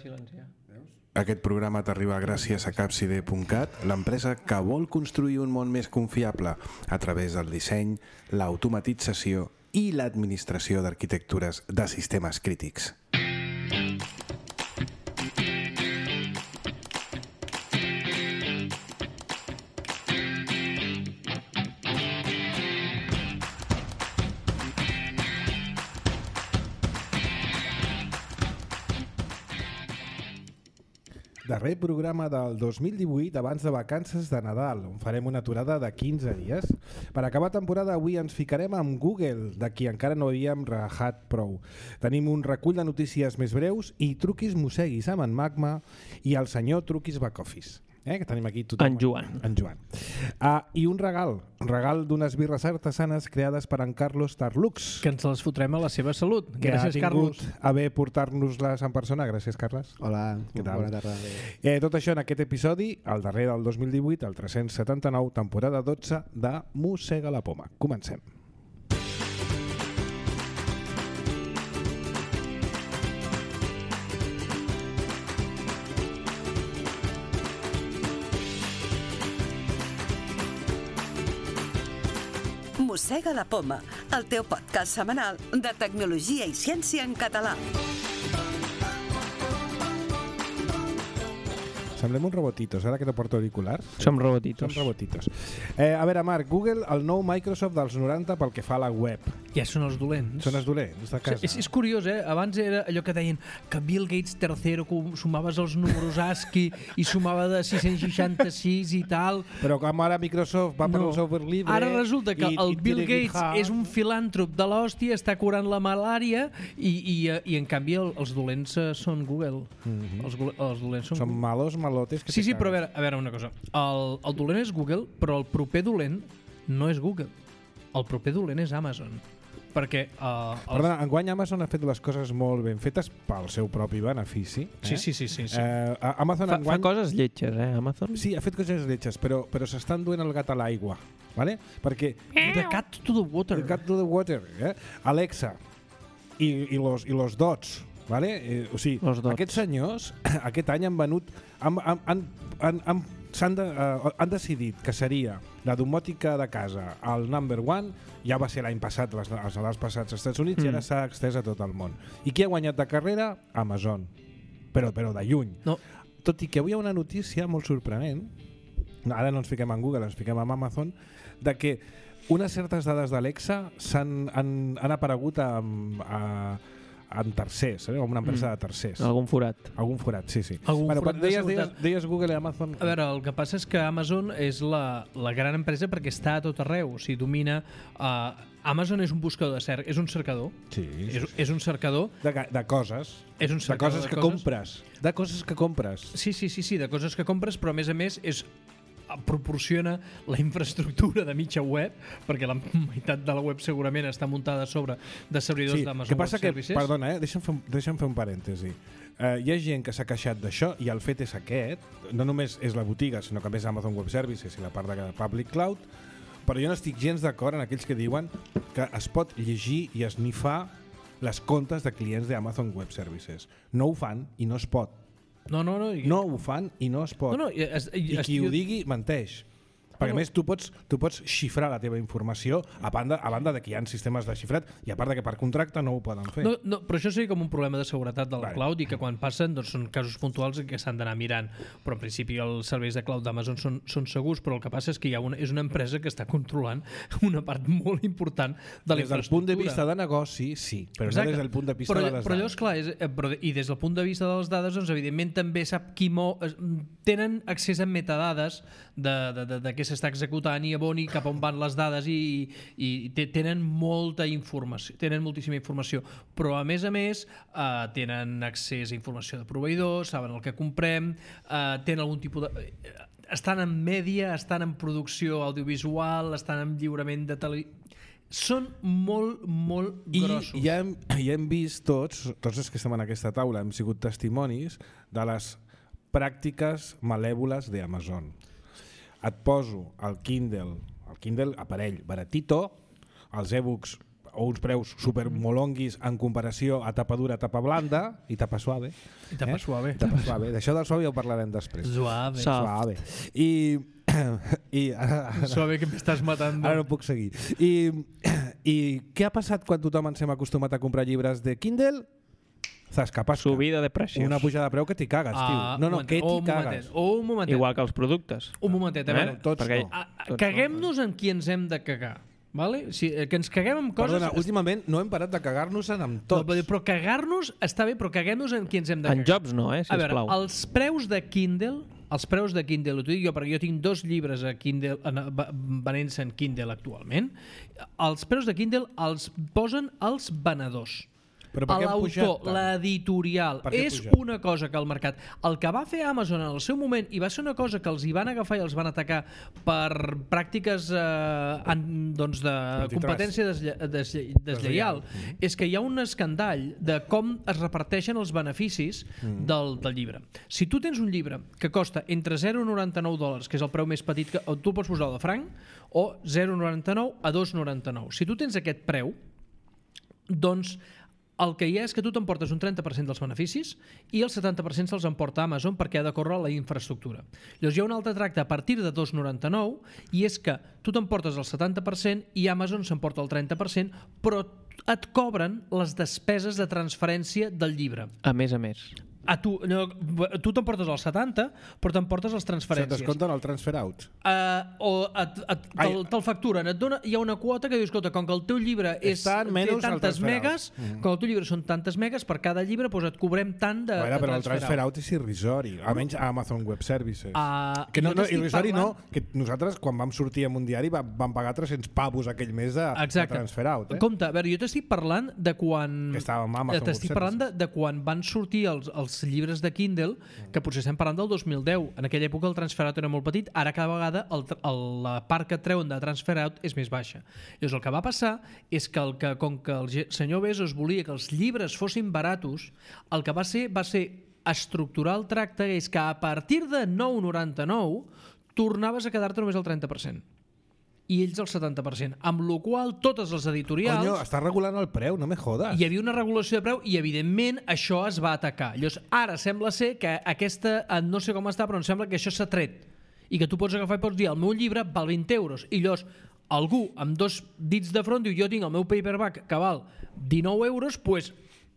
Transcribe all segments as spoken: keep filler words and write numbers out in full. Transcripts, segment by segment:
silenciar. Aquest programa t'arriba gràcies a Capside punt cat, l'empresa que vol construir un món més confiable a través del disseny, l'automatització i l'administració d'arquitectures de sistemes crítics. Darrer programa del dos mil divuit abans de vacances de Nadal, on farem una aturada de quinze dies. Per acabar temporada avui ens ficarem amb Google, de qui encara no havíem rajat prou. Tenim un recull de notícies més breus i truquis mosseguis amb en Magma i el senyor truquis back office. Eh, que tenim aquí tothom. En Joan. En Joan. Ah, I un regal, un regal d'unes birres artesanes creades per en Carlos Tarlux. Que ens les fotrem a la seva salut. Que Gràcies, ha tingut Carlos. a bé portar-nos-les en persona. Gràcies, Carles. Hola, Què tal? bona tarda. Eh, tot això en aquest episodi, el darrer del dos mil divuit, el tres-cents setanta-nou, temporada dotze de Mossega la Poma. Comencem. Mossega la Poma, el teu podcast setmanal de tecnologia i ciència en català. Semblem uns robotitos, ara que no porto auriculars. Som robotitos. Som robotitos. Eh, a veure, Marc, Google, el nou Microsoft dels noranta pel que fa a la web. Ja són els dolents. Són els dolents de casa. És, és curiós, eh? Abans era allò que deien que Bill Gates tercero, sumaves els números ASCII i sumava de sis-cents seixanta-sis i tal. Però com ara Microsoft va per No. el software libre... Ara resulta que i, el i Bill tiene Gates GitHub. és un filàntrop de l'hòstia, està curant la malària i, i, i en canvi el, els dolents eh, són Google. Mhm. Els, go- els dolents són Són Google. malos, malotes... Que Sí, te sí, però a cagues. veure, a veure una cosa. El, el dolent és Google, però el proper dolent no és Google. El proper dolent és Amazon. Perquè... Uh, els... Perdona, enguany Amazon ha fet les coses molt ben fetes pel seu propi benefici. Eh? Sí, sí, sí. sí, sí. Eh, Amazon Fa, enguany... fa coses lletges, eh, Amazon? Sí, ha fet coses lletges, però, però s'estan duent el gat a l'aigua. ¿Vale? Perquè... The cat to the water. The cat to the water. Eh? Alexa i, i, los, i los dots. Vale? Eh, o sigui, Los dots. aquests senyors aquest any han venut han, han, han, han, han, s'han de, uh, han decidit que seria la domòtica de casa el number one, ja va ser l'any passat les, els Nadals passats als Estats Units mm. i ara s'ha extès a tot el món. I qui ha guanyat de carrera? Amazon. Però, però de lluny. No. Tot i que avui hi ha una notícia molt sorprenent, ara no ens fiquem en Google, ens fiquem en Amazon, de que unes certes dades d'Alexa s'han han, han aparegut amb, a, en tercers, eh? Una empresa Mm. de tercers. Algun forat. Algun forat, sí, sí. Algun bueno, forat de deies, deies, seguretat. deies Google i Amazon... A veure, el que passa és que Amazon és la, la gran empresa perquè està a tot arreu. O sigui, domina... Uh, Amazon és un buscador de cerc, és un cercador. Sí, sí, És, sí. és un cercador. De, de coses. És un De cercador coses que compres. De coses que compres. Sí, sí, sí, sí, de coses que compres, però a més a més és proporciona la infraestructura de mitja web, perquè la meitat de la web segurament està muntada sobre de servidors Sí, d'Amazon que passa Web que, Services. perdona, eh? deixa'm, fer, un- deixa'm fer un parèntesi. Uh, hi ha gent que s'ha queixat d'això i el fet és aquest, no només és la botiga, sinó que a més Amazon Web Services i la part de Public Cloud, però jo no estic gens d'acord en aquells que diuen que es pot llegir i esnifar les comptes de clients d'Amazon Web Services. No ho fan i no es pot. No, no, no. I, No ho fan i no es pot. no, no i, es, I qui ho digui menteix. Perquè a no. més tu pots, tu pots xifrar la teva informació a banda, a banda de que hi ha sistemes de xifrat i a part de que per contracte no ho poden fer. No, no, però això seria com un problema de seguretat de la Vale. cloud i que quan passen doncs, són casos puntuals que s'han d'anar mirant. Però en principi els serveis de cloud d'Amazon són, són segurs, però el que passa és que hi ha una, és una empresa que està controlant una part molt important de la Des del punt de vista de negoci, sí, però Exacte. no des del punt de vista però, de les però allò dades. és clar, és, eh, però, i des del punt de vista de les dades, doncs, evidentment també sap qui mo... es- tenen accés a metadades de, de, de, de què s'està executant i a on i cap on van les dades i, i te- tenen molta informació, tenen moltíssima informació, però a més a més eh, tenen accés a informació de proveïdors, saben el que comprem, eh, tenen algun tipus de... eh, estan en mèdia, estan en producció audiovisual, estan en lliurament de televisió... Són molt, molt I grossos. ja hem, ja hem vist tots, tots els que estem en aquesta taula, hem sigut testimonis de les pràctiques malèvoles d'Amazon. Et poso el Kindle, el Kindle aparell baratito, els e-books o uns preus supermolonguis en comparació a tapa dura, tapa blanda i tapa suave. I tapa eh? suave. Tapa suave. D'això del suave ja ho parlarem després. Suave. Suave. I... I ara, ara, suave que m'estàs matant. Ara no puc seguir. I, I què ha passat quan tothom ens hem acostumat a comprar llibres de Kindle? Zascapasca. Subida de precios. Una pujada de preu que t'hi cagues, Ah, tio. No, no, un que momentet, t'hi un cagues. momentet, Un momentet. Igual que els productes. Un momentet, a Eh? veure. Tots Perquè- no. A- a- Tots Caguem-nos en qui ens hem de cagar. Vale? Si, eh, que ens caguem en coses... Perdona, últimament no hem parat de cagar-nos en amb No, tots. però, però cagar-nos està bé, però caguem-nos en qui ens hem de En cagar. Jobs no, eh, A veure, sisplau. els preus de Kindle, els preus de Kindle, ho dic jo perquè jo tinc dos llibres a Kindle, en- va- venent-se en Kindle actualment, els preus de Kindle els posen els venedors. Però per què han pujat L'autor, tant? l'editorial, Per què ha és pujat? una cosa que el mercat... El que va fer Amazon en el seu moment, i va ser una cosa que els hi van agafar i els van atacar per pràctiques eh, en, doncs de Antitrust. competència deslle, deslle, deslleial, Deslleial. és que hi ha un escandall de com es reparteixen els beneficis Mm. del, del llibre. Si tu tens un llibre que costa entre zero coma noranta-nou dòlars, que és el preu més petit, que o tu pots posar de franc, o zero coma noranta-nou a dos coma noranta-nou. Si tu tens aquest preu, doncs el que hi ha és que tu t'emportes un trenta per cent dels beneficis i el setanta per cent se'ls emporta a Amazon perquè ha de córrer la infraestructura. Llavors hi ha un altre tracte a partir de dos coma noranta-nou i és que tu t'emportes el setanta per cent i Amazon s'emporta el trenta per cent, però et cobren les despeses de transferència del llibre. A més a més. A tu no, tu t'emportes el setanta, però t'emportes les Se't transferències. descompten el transfer out. Uh, o et, et, te'l, te'l facturen, et dona, hi ha una quota que dius, escolta, com que el teu llibre és, Està en té menys el tantes transfer megas, out. Mm. com el teu llibre són tantes megas, per cada llibre doncs et cobrem tant de, Bueno, de però el transfer, transfer out. out és irrisori, almenys a Amazon Web Services. Uh, que no, jo no, t'estic irrisori parlant- no, que nosaltres quan vam sortir en un diari va- vam pagar tres-cents pavos aquell mes de, de Exacte. transfer out. Eh? Compte, a veure, jo t'estic parlant de quan... Que estàvem a Amazon T'estic Web parlant de, de quan van sortir els, els llibres de Kindle, que potser estem parlant del dos mil deu. En aquella època el transfer out era molt petit, ara cada vegada el, el, la part que et treuen de transfer out és més baixa. Llavors el que va passar és que, el que com que el ge- senyor Bezos volia que els llibres fossin baratos, el que va ser va ser estructurar el tracte, és que a partir de nou coma noranta-nou tornaves a quedar-te només el trenta per cent. I ells el setanta per cent. Amb la qual totes les editorials... Conyo, està regulant el preu, no me jodes. Hi havia una regulació de preu i, evidentment, això es va atacar. Llavors, ara sembla ser que aquesta, eh, no sé com està, però em sembla que això s'ha tret. I que tu pots agafar i pots dir, el meu llibre val vint euros. I llavors, algú amb dos dits de front diu, jo tinc el meu paperback que val dinou euros, doncs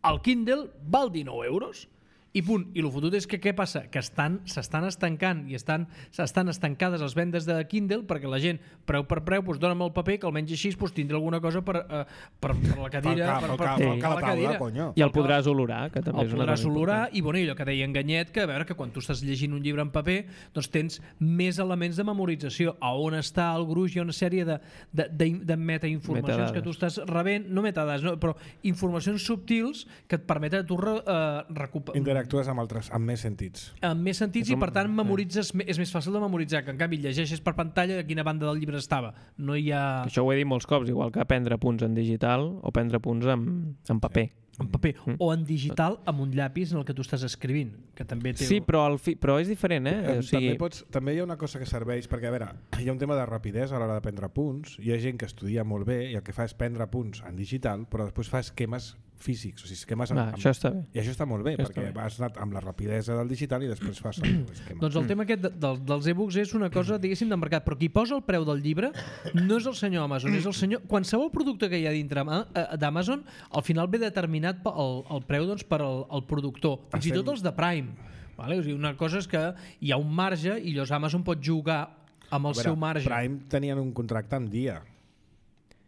el Kindle val dinou euros. I punt. I el fotut és que què passa? Que estan s'estan estancant i estan s'estan estancades les vendes de Kindle perquè la gent, preu per preu, doncs dona'm el paper que almenys així doncs, tindrà alguna cosa per, eh, per, per la cadira. Pel per, ca- pel ca- per, pel ca- per la taula, conyo. I el podràs olorar, que també el és una podràs cosa olorar important. i, bueno, i allò que deia Enganyet, que a veure que quan tu estàs llegint un llibre en paper doncs tens més elements de memorització, a on està el gruix, hi ha una sèrie de, de, de, de metainformacions Metadades. que tu estàs rebent, no metadades, no, però informacions subtils que et permeten a tu re, uh, recuperar Interactues amb altres, amb més sentits. amb més sentits Com- i per tant memoritzes, és més fàcil de memoritzar, que en canvi llegeixes per pantalla a quina banda del llibre estava, no hi ha Això ho he dit molts cops, igual que prendre punts en digital o prendre punts en, en paper. en paper, Mm. o en digital amb un llapis en el que tu estàs escrivint, que també té... Sí, però, el fi, però és diferent, eh? Eh, O sigui, també, pots, també hi ha una cosa que serveix, perquè a veure, hi ha un tema de rapidesa a l'hora de prendre punts, hi ha gent que estudia molt bé i el que fa és prendre punts en digital, però després fa esquemes físics, o sigui, esquemes amb, va, això està bé. i això està molt bé, Això perquè està bé. vas anat amb la rapidesa del digital i després fas l'esquema. Doncs el tema aquest de, del, dels e-books és una cosa, diguéssim, de mercat, però qui posa el preu del llibre no és el senyor Amazon, és el senyor... Qualsevol producte que hi ha dintre ama- eh, d'Amazon, al final ve determinat pel el preu doncs, per al el productor, fins i tot els de Prime. Vale? O sigui, una cosa és que hi ha un marge i llavors Amazon pot jugar amb el A veure, seu marge. Prime tenien un contracte amb Dia.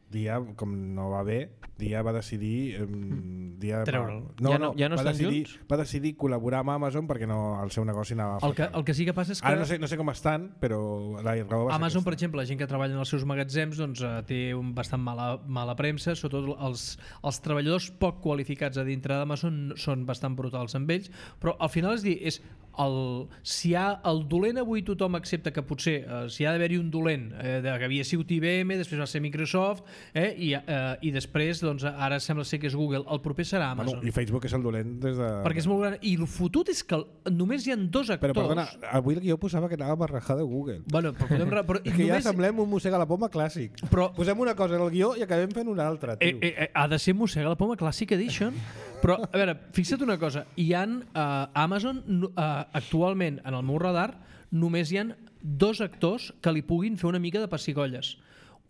Dia, com no va bé, Dia va decidir... Um, Dia Treure'l. no, Ja no- ja no va estan decidir, junts? Va decidir col·laborar amb Amazon perquè no, el seu negoci anava El que, fatal. el que sí que passa és que Ara no sé, no sé com estan, però la raó va ser Amazon, per aquesta. exemple, la gent que treballa en els seus magatzems doncs, eh, té un bastant mala, mala premsa, sobretot els, els treballadors poc qualificats a dintre d'Amazon són bastant brutals amb ells, però al final és dir, és el, si hi ha el dolent avui tothom accepta que potser eh, si hi ha d'haver-hi un dolent eh, de, que havia sigut I B M, després va ser Microsoft eh, i, eh, i després doncs, ara sembla ser que és Google, el proper serà Amazon. Bueno, i Facebook és el dolent des de... Perquè és molt gran, i el fotut és que només hi ha dos actors. Però perdona, avui el guió posava que anava a rajar de Google. Bueno, però podem... Però que ja només... semblem un mossega la poma clàssic. Però... Posem una cosa en el guió i acabem fent una altra, tio. Eh, eh, ha de ser mossega la poma Classic Edition. Però, a veure, fixa't una cosa. Hi ha uh, Amazon, uh, actualment, en el meu radar, només hi ha dos actors que li puguin fer una mica de pessigolles.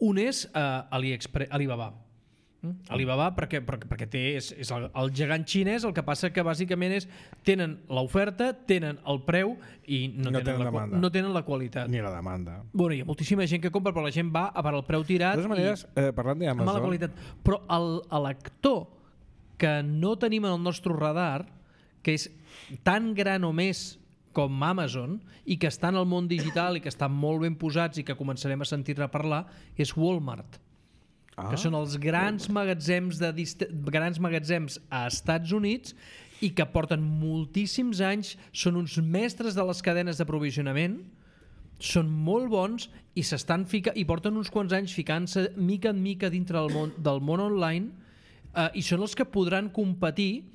Un és uh, AliExpress, Alibaba. Mm? Alibaba perquè, perquè, perquè té, és, és el, el gegant xinès, el que passa que bàsicament és tenen l'oferta, tenen el preu i no, no, tenen, tenen, la, la no tenen la qualitat. Ni la demanda. Bueno, hi ha moltíssima gent que compra, però la gent va a per el preu tirat. De totes maneres, i, eh, parlant d'Amazon... mala qualitat. Però l'actor que no tenim en el nostre radar, que és tan gran o més com Amazon i que està en el món digital i que estan molt ben posats i que començarem a sentir-ne parlar, és Walmart. Ah, que són els grans magatzems, de dist... grans magatzems a Estats Units i que porten moltíssims anys, són uns mestres de les cadenes d'aprovisionament, són molt bons i s'estan fica... i porten uns quants anys ficant-se mica en mica dintre del món, del món online. Uh, i són els que podran competir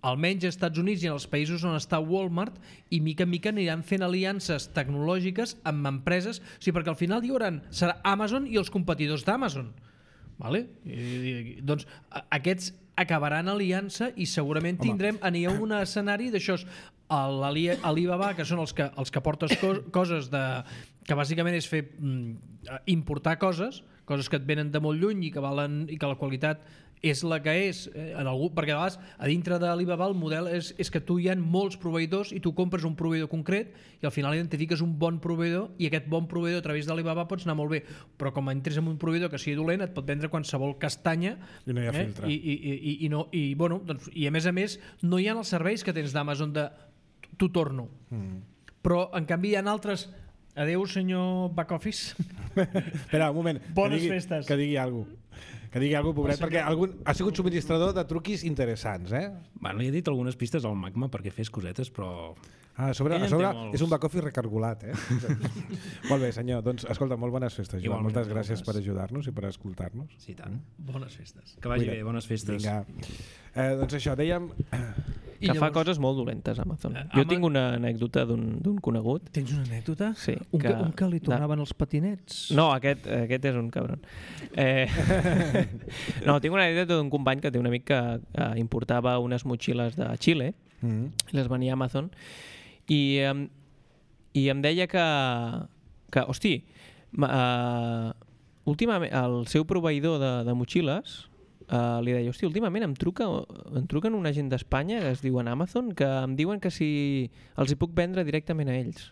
almenys als Estats Units i en els països on està Walmart i mica en mica aniran fent aliances tecnològiques amb empreses, o sigui, perquè al final hi haurà, serà Amazon i els competidors d'Amazon, vale? I, i, doncs aquests acabaran aliança i segurament Home. tindrem anirà un escenari d'això, l'Alibaba, que són els que, els que portes co coses de, que bàsicament és fer mm, importar coses, coses que et venen de molt lluny i que valen i que la qualitat és la que és, eh, en algú, perquè a vegades a dintre de l'Alibaba el model és, és que tu hi ha molts proveïdors i tu compres un proveïdor concret i al final identifiques un bon proveïdor i aquest bon proveïdor a través de l'Alibaba pots anar molt bé, però com entres en un proveïdor que sigui dolent et pot vendre qualsevol castanya i no hi ha eh? filtre I, i, i, i, no, i, bueno, doncs, i a més a més no hi ha els serveis que tens d'Amazon de t'ho torno mm. però en canvi hi ha altres. Adeu senyor back office. Espera un moment, bones que digui, festes que digui alguna cosa que digui alguna cosa, pobret, perquè algun, ha sigut subministrador de truquis interessants, eh? Bueno, li he dit algunes pistes al Magma perquè fes cosetes, però... Ah, a sobre, a sobre és un back-office recargolat, eh? Molt bé, senyor. Doncs, escolta, molt bones festes, Joan. Moltes gràcies per ajudar-nos i per escoltar-nos. Sí, tant. Bones festes. Que vagi Cuida't. bé, bones festes. Vinga. Eh, doncs això, dèiem... Que llavors... fa coses molt dolentes, Amazon. Uh, jo Ama... tinc una anècdota d'un conegut. Tens una anècdota? Sí. Un que, que, un que li tornaven de... els patinets? No, aquest, aquest és un cabron. Eh... no, tinc una anècdota d'un company que té un amic que eh, importava unes motxilles de Xile, mm. i les venia a Amazon, i, eh, i em deia que, que hosti, uh, últimament el seu proveïdor de, de motxilles Uh, li deia, hosti, últimament em truca em truquen una gent d'Espanya que es diuen Amazon que em diuen que si els hi puc vendre directament a ells,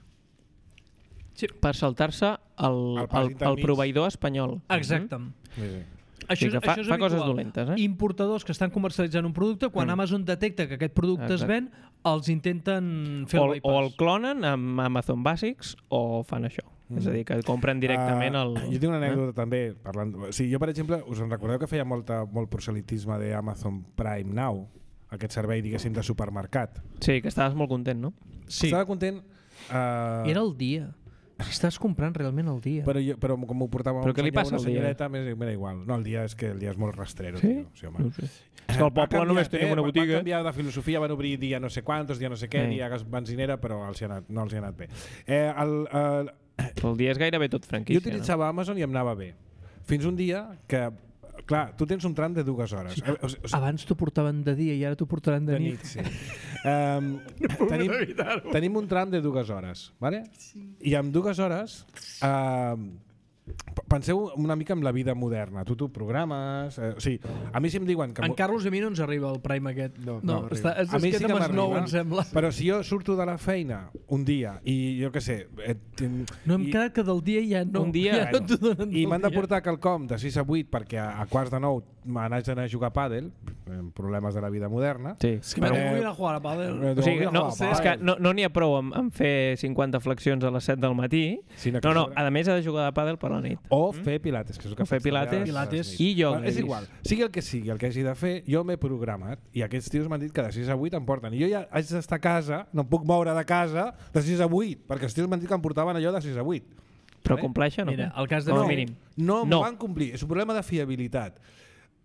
sí. per saltar-se el, el, el, el proveïdor espanyol. Exacte. Mm-hmm. Sí, sí. Això, sí, fa, això és fa habitual. coses dolentes, eh? Importadors que estan comercialitzant un producte, quan mm. Amazon detecta que aquest producte Exacte. es ven, els intenten fer o, el bypass. O el clonen amb Amazon Basics o fan això. Mm. És a dir, que compren directament el... Uh, jo tinc una anècdota eh? també. Parlant... Sí, jo, per exemple, us en recordeu que feia molta, molt proselitisme d'Amazon Prime Now, aquest servei, diguéssim, de supermercat. Sí, que estaves molt content, no? Sí. Estava content... Uh... Era el dia. Si estàs comprant realment el dia. Però, jo, però com ho portava però un senyor, passa una senyoreta, m'era igual. No, el dia és que el dia és molt rastrero. Sí? Tio. Sí, home. No sé. És que al poble només tenim una botiga. Van canviar de filosofia, van obrir dia no sé quantos, dia no sé què, sí. dia benzinera, però els hi ha anat, no els hi ha anat bé. Eh, el, el... el dia és gairebé tot franquícia. Jo utilitzava no? Amazon i em anava bé. Fins un dia que... Clar, tu tens un tram de dues hores. Sí. O sigui, abans t'ho portaven de dia i ara t'ho portaran de, de nit. nit sí. um, tenim, tenim un tram de dues hores, ¿vale? Sí. I en dues hores uh, penseu una mica en la vida moderna. Tu t'ho programes... Eh, o sigui, a mi si em diuen... que en Carlos i a mi no ens arriba el Prime aquest. No, no, no està, és, a mi és sí que m'arriba, em sembla. Però si jo surto de la feina un dia i jo què sé... Eh, no hem i, quedat que del dia ja no. Un dia, ja no t'ho donen i m'han de portar quelcom de sis a vuit perquè a, a quarts de nou m'anaig d'anar a jugar a pàdel, problemes de la vida moderna. Sí. És que me Eh, voy a jugar a pàdel. Eh, O sigui, voy a no, jugar a és que pàdel. no no n'hi ha prou amb, amb fer cinquanta flexions a les set del matí. Sinó que No, no, sobre- a més ha de jugar de pàdel per la nit. O fer pilates, que és el que O fer faig també a pilates, les- Pilates a les nits. i ioga, Bueno, és he igual, vist. sigui el que sigui, el que hagi de fer, jo m'he programat i aquests tios m'han dit que de sis a vuit em porten. I jo ja haig d'estar a casa, no em puc moure de casa de sis a vuit, perquè els tios m'han dit que em portaven allò de sis a vuit. Però Vale? compleixen, no? Mira, el cas de Com a fer- mínim. No, No. m'ho van complir, és un problema de fiabilitat.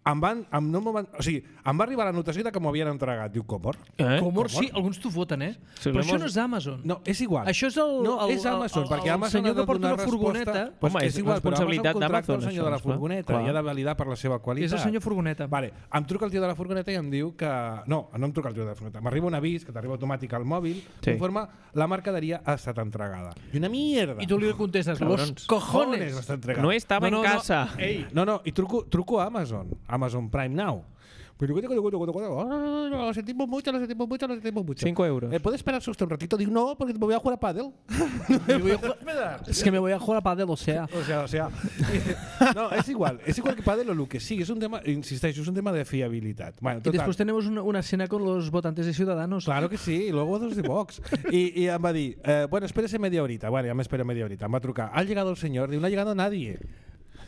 Em van, em, no m'ho van, o sigui, em va arribar la notació de que m'ho havien entregat. Diu, Comor? Eh? Comor, sí, alguns t'ho foten, eh? Sí, Però l'hemos- això no és Amazon. No, és igual. Això és el, no, el, és Amazon, el, perquè el, Amazon senyor ha de que porta donar una resposta. furgoneta. Pues Home, que és igual, però responsabilitat Amazon contracta d'Amazon, el senyor de la això, clar. furgoneta Clar. i ha de validar per la seva qualitat. És el senyor furgoneta. Vale, em truca el tio de la furgoneta i em diu que... No, no em truca el tio de la furgoneta. M'arriba un avís, que t'arriba automàtic al mòbil, Sí. conforme la mercaderia ha estat entregada. I una mierda. I tu li contestes, los Cabrons. cojones. està entregada. No estava No, no, en no. casa. Ei, no, no, i truco, truco a Amazon, Amazon Prime Now. Pero lo sentimos mucho, lo sentimos mucho, lo sentimos mucho. Cinco euros. Eh, ¿Puede esperarse usted un ratito? Digo, no, porque me voy a jugar a pádel. Me voy a jugar- Es que me voy a jugar a pàdel, o sea. O sea, o sea... No, és igual. És igual que pádel o el que sigui. És un tema, insisteixo, és un tema de fiabilitat. Bueno, Y total. después tenemos una, una escena con los votantes de Ciudadanos. Claro que sí, y luego dos de Vox. Y, y em va dir, eh, bueno, espérese media horita. Bueno, ya me espero media horita. Me va a trucar. ¿Ha llegado el señor? Digo, no ha llegado nadie.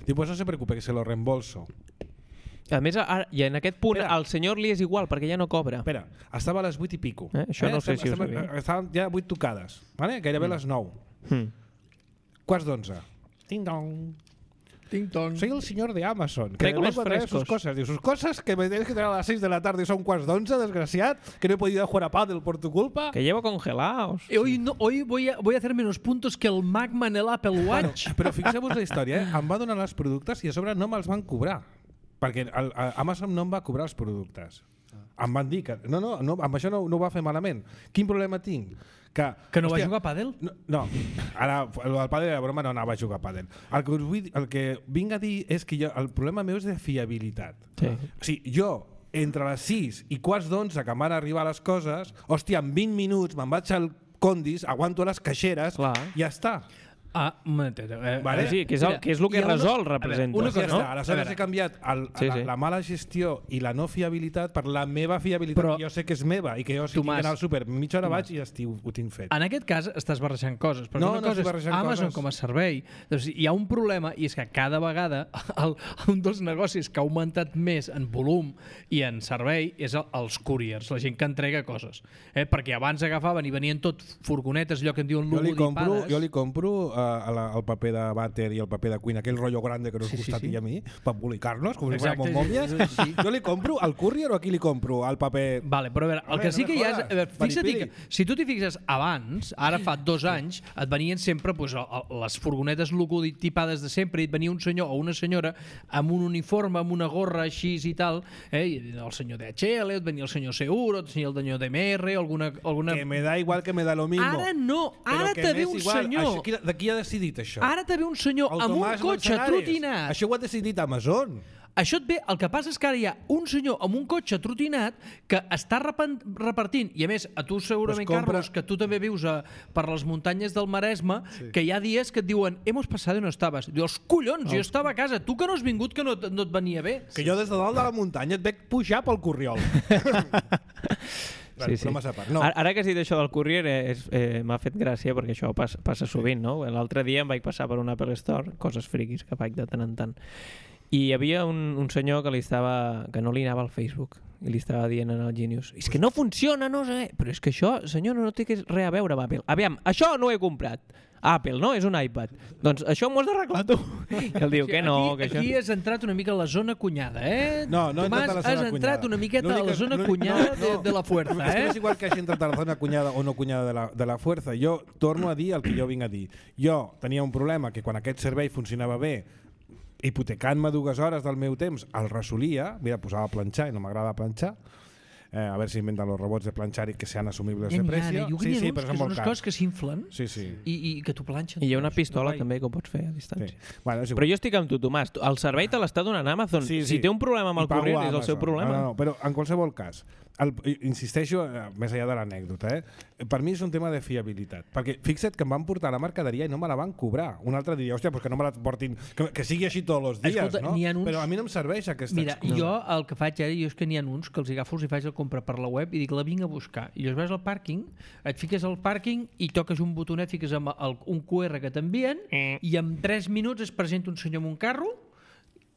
Digo, pues no se preocupe, que se lo reembolso. A més, ara, i en aquest punt, Espera. al senyor li és igual, perquè ja no cobra. Espera, estava a les vuit i pico. Eh, això no sé si ho estem, sabia. Estaven ja vuit tocades, vale? Gairebé les nou. Mm. Quarts d'onze. Ting dong. Ting tong. Soy el señor de Amazon, que Traigo me los vengo a traer sus frescos. cosas. Digo, sus cosas que me tienes que traer a las seis de la tarde y son quarts d'onze, desgraciat, que no he podido jugar a pádel por tu culpa. Que llevo congelados. Eh, Hoy, no, hoy voy, a, voy a hacer menos puntos que el Magma en el Apple Watch. Però fixeu-vos la història, eh? Em va donar els productes i a sobre no me'ls van cobrar. Perquè el, el, Amazon no em va cobrar els productes. Em van dir que... No, no, no amb això no, no ho va fer malament. Quin problema tinc? Que, Que no va hòstia, jugar a pàdel? No, no, ara el del pàdel de la broma no anava a jugar a pàdel. El que, us vull, el que vinc a dir és que jo, el problema meu és de fiabilitat. Sí. O sigui, jo, entre les sis i quarts d'onze que em van arribar les coses, hòstia, en vint minuts me'n vaig al Condis, aguanto les caixeres Clar. i ja està. Ah, un momentet. Eh, Vale. Sí, que és el, que, és el que hi ha una- resol, a veure, representa. una Pues ja cosa, està. no? Aleshores A veure. he canviat el, Sí, la, sí. la mala gestió i la no fiabilitat per la meva fiabilitat, Però- que jo sé que és meva i que jo si tinc Tomàs, d'anar al súper mitja hora Tomàs. vaig i ja estiu, ho tinc fet. En aquest cas estàs barrejant coses, perquè No, una no cosa estic és barrejant Amazon coses. com a servei. Doncs hi ha un problema, i és que cada vegada el, un dels negocis que ha augmentat més en volum i en servei és el, els couriers, la gent que entrega coses. Eh? Perquè abans agafaven i venien tot furgonetes, allò que en diuen Jo li compro, logotipades. jo li compro uh, la, el paper de vàter i el paper de cuina, aquell rotllo grande que nos Sí, sí, gusta a ti sí. i a mi, per embolicar-nos, com si Exacte, fóramos mòmies. sí, sí. Jo li compro al courier o a qui li compro? Al paper... Vale, però a veure, el A que veure, sí no que me hi ha és... jodas. A veure, fixa't Paripiri. que si tu t'hi fixes abans, ara fa dos anys, et venien sempre pues, el- el- les furgonetes logotipades de sempre i et venia un senyor o una senyora amb un uniforme, amb una gorra així i tal, eh? I el senyor de H L, et venia el senyor Seguro, et venia el senyor de M R, alguna... alguna... Que me da igual, que me da lo mismo. Ara no, Però ara que te ve m'és un igual. senyor... Això, qui, de qui ha decidit això? Ara te ve un senyor El amb un Tomàs cotxe Manzanares. trotinat. Això ho ha decidit Amazon. Això et ve, el que passa és que ara hi ha un senyor amb un cotxe trotinat que està repen- repartint, i a més, a tu segurament, Pues compra- Carlos, que tu també vius a, per les muntanyes del Maresme, sí. que hi ha dies que et diuen, hemos pasado i no estaves. Dius, collons, jo estava a casa, tu que no has vingut que no, et- no et venia bé. Que jo des de dalt de la muntanya et veig pujar pel Corriol. Sí, sí. Broma a part. No. Ara, ara que has dit això del courier, eh, és, eh, m'ha fet gràcia perquè això passa, passa sovint, no? L'altre dia em vaig passar per un Apple Store, coses friquis que faig de tant en tant, i hi havia un, un senyor que li estava, que no li anava al Facebook i li estava dient al Genius, és que no funciona, no sé, però és que això, senyor, no té res a veure amb Apple. Aviam, això no ho he comprat. Apple, no? És un iPad. Doncs això m'ho has d'arreglar tu. I el diu que no, aquí, que això... aquí has entrat una mica a la zona cunyada, eh? No, no he Tomàs, entrat a la zona has entrat cunyada. una miqueta a L'únic la que- zona l'únic- cunyada no, de, no. de la fuerza, És que eh? no és igual que hagi entrat a la zona cunyada o no cunyada de la, de la fuerza. Jo torno a dir el que jo vinc a dir. Jo tenia un problema que quan aquest servei funcionava bé, hipotecant-me dues hores del meu temps, el resolia, mira, posava a planxar i no m'agrada planxar, eh, a veure si inventen los robots de planxar i que sean asumibles Ja de n'hi ha, precio. eh? Jo Sí, sí, sí, sí, però que són són molt unes cars. coses que s'inflen Sí, sí. i, i que t'ho planxen. I hi ha una És pistola guai. també que ho pots fer a distància. Sí. Bueno, és igual. Però jo estic amb tu, Tomàs. El servei te l'està donant Amazon. Sí, Si sí. té un problema amb I el pago corrent, a és el seu Amazon. problema. No, no, no, però en qualsevol cas, el, insisteixo, més enllà de l'anècdota, eh? Per mi és un tema de fiabilitat, perquè fixa't que em van portar la mercaderia i no me la van cobrar. Un altre diria, hòstia, pues que no me la portin, que, que sigui així tots els dies. Escolta, no? uns... Però a mi no em serveix aquesta Mira, excusa. jo el que faig ara, jo és que n'hi ha uns que els agafo i faig el compra per la web i dic, la vinc a buscar. I llavors vas al pàrquing, et fiques al pàrquing i toques un botonet, fiques amb el, un Q R que t'envien Eh. i en tres minuts es presenta un senyor amb un carro,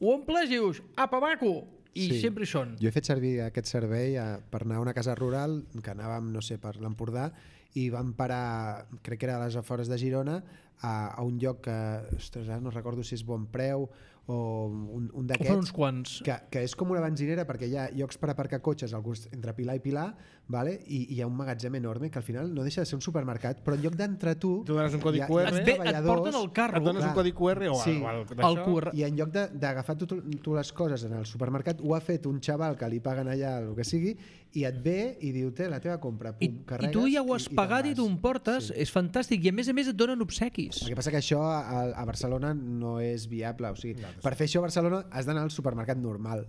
ho omples i dius, apa, maco! I Sí. sempre hi són. Jo he fet servir aquest servei a, per anar a una casa rural que anàvem, no sé, per l'Empordà i vam parar, crec que era a les afores de Girona, a, a un lloc que, ostres, ara no recordo si és Bon Preu o un, un Ho fan uns d'aquests, quants. que, que és com una benzinera perquè hi ha llocs per aparcar cotxes al gust, entre Pilar i Pilar, vale? I, i hi ha un magatzem enorme que al final no deixa de ser un supermercat, però en lloc d'entrar tu... Tu dones un codi hi ha- Q R. hi ha Et, ve, et treballadors- porten el carro. Et dones Clar. un codi Q R o, Sí. o el, El Q R. I en lloc de- d'agafar tu, tu les coses en el supermercat, ho ha fet un xaval que li paguen allà el que sigui i et ve i diu, té la teva compra, I, pum, I carregues tu ja ho has i, pagat i te'n tu vas. em portes, Sí. és fantàstic. I a més a més et donen obsequis. El que passa que això a, a Barcelona no és viable, o sigui, per fer això a Barcelona has d'anar al supermercat normal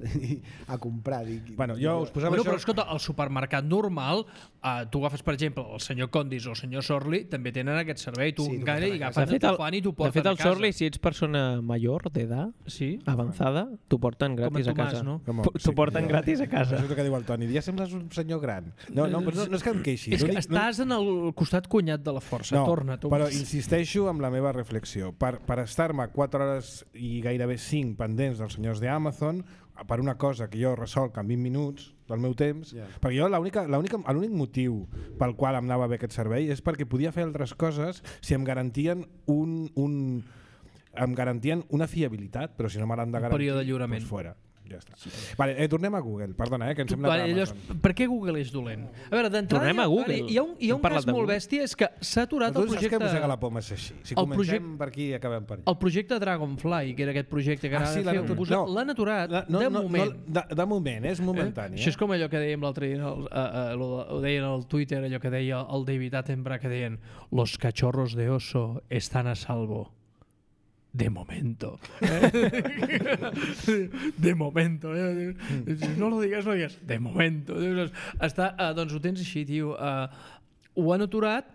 a comprar. Dic, Bueno, jo us posava Bueno, això... però escolta, al supermercat normal, eh, tu agafes, per exemple, el senyor Condis o el senyor Sorli, també tenen aquest servei. Tu Sí, tu encara porten i a agafen, De fet, t'ho el, fan i t'ho de porten fet, a el casa. Sorli, si ets persona major, d'edat, Sí? avançada, t'ho porten Com en gratis a Tomàs, casa. no? Com- T'ho sí, porten jo- gratis a casa. Això és el que diu el Toni. Ja sembles un senyor gran. No, no, però no, no és que em queixi. És que L'únic- estàs en el costat cunyat de la força. no, Torna, tu. però insisteixo amb la meva reflexió. Per, per estar-me quatre hores i gairebé cinc pendents dels senyors d'Amazon, per una cosa que jo resolc en vint minuts del meu temps, Ja. perquè jo l'única- l'única- l'únic motiu pel qual em anava bé aquest servei és perquè podia fer altres coses si em garantien un, un em garantien una fiabilitat, però si no me l'han de Un garantir, període de lliurament. doncs fora. Ja està. Vale, eh, tornem a Google, perdona, eh, que em sembla Vale, que llavors, Amazon. per què Google és dolent? A veure, d'entrada Tornem hi ha- a Google. vale, hi ha un, hi ha Hem un parlat cas de molt Google. bèstia, és que s'ha aturat Tu el saps que projecte... mossega la poma és així. Si el comencem projecte- per aquí i acabem per allà. El projecte Dragonfly, que era aquest projecte que Ah, ara sí, l'han fer, aturat. posar- No. l'han aturat La- no, de no, moment. No, de, de moment, és momentani. Eh? Això és com allò que dèiem l'altre dia, el, uh, uh, lo, ho deien al Twitter, allò que deia el David Attenborough, que deien los cachorros de oso están a salvo. De momento. Eh? De momento. Eh? No lo digas, no digas. De momento. Està, uh, doncs ho tens així, tio. Uh, ho han aturat,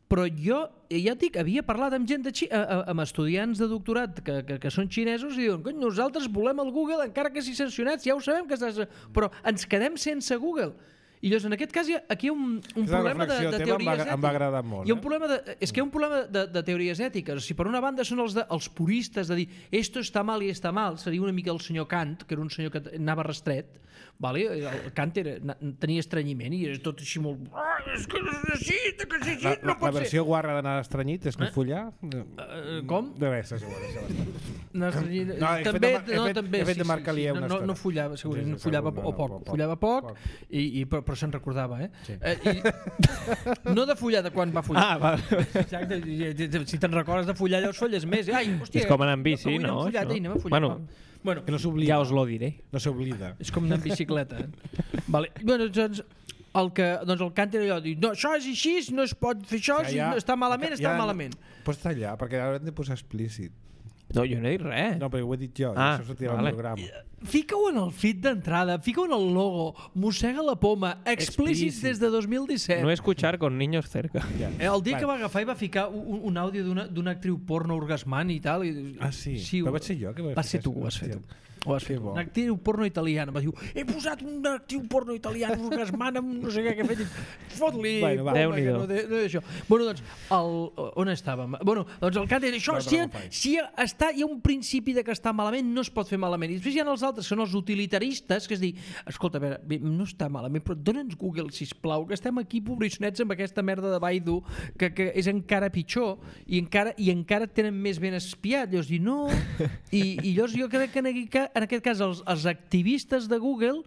però jo, ja et dic, havia parlat amb gent de Xi, uh, amb estudiants de doctorat que, que, que són xinesos i diuen, cony, nosaltres volem el Google encara que sigui sancionat, ja ho sabem que estàs... Però ens quedem sense Google. I llavors, en aquest cas, hi ha, aquí hi ha un, un Aquesta problema de, reflexió de teva em va- teories em va agradar molt, Hi ha un eh? problema de, és que hi ha un problema de, de teories ètiques. O sigui, per una banda són els, de, els puristes de dir esto està mal i està mal. Seria una mica el senyor Kant, que era un senyor que anava restret. Vale? El Kant era, na- tenia estrenyiment i era tot així molt... Ah, és que no és així, que és així, La, no la, pot la versió guarra d'anar estranyit és que follar? ser. Uh, com? De res, és igual, això basta. No, estranyit- No, he fet també, de- he no, fet- també, he fet sí, de Marc sí, Alier sí. una No, no, estona. no follava, segurament, Sí, no sí, follava segur, o no, poc, poc, follava poc, poc. I, i, però, però se'n recordava, eh? Sí. eh i, no de follar de quan va follar. Ah, va. Exacte, i- i- si te'n recordes de follar, llavors folles més. Ai, hòstia, És com anar amb bici, avui no, hem follat, això? ei, anem a follar. Bueno, va. Bueno, Que no s'oblida. Ja us lo diré. No s'oblida. és com anar amb bicicleta. Eh? Vale. Bueno, doncs, el que, doncs el Kant era allò, dir, no, això és així, no es pot fer això, si no, està malament, està malament. Pots tallar, perquè ara hem de posar explícit. No, jo no he dit res. No, però ho he dit jo, Ah, i això sortirà vale. al programa. Fica-ho en el feed d'entrada, fica-ho en el logo, mossega la poma, explícit Explícit. des de dos mil disset. No escuchar con niños cerca. Ja. Eh, el dia Vale. que va agafar i va ficar un, un àudio d'una d'una actriu porno orgasmant i tal. I, Ah, sí? sí Però ho- vaig ser jo que vaig Va fer ser tu, això. ho has fet tu. Hòstia. Ho has Que fet. bo. Una actriu porno italiana. Va dir, he posat una actriu porno italiana orgasmant amb no sé què que ha fet. I Fot-li. Bueno, va. bomba, Déu-n'hi-do. que no, té- no, això. Bueno, doncs, el, on estàvem? Bueno, doncs el Kant era això. Va, Si, bravo, fai. si està, hi ha un principi de que està malament, no es pot fer malament. I després hi ha els altres, són els utilitaristes, que és dir, escolta, a veure, bé, no està malament, però dona'ns Google, sisplau, que estem aquí pobrissonets amb aquesta merda de Baidu, que, que és encara pitjor, i encara, i encara et tenen més ben espiat. Llavors dir, no... I, i llavors jo crec que en aquest cas, en aquest cas els, els activistes de Google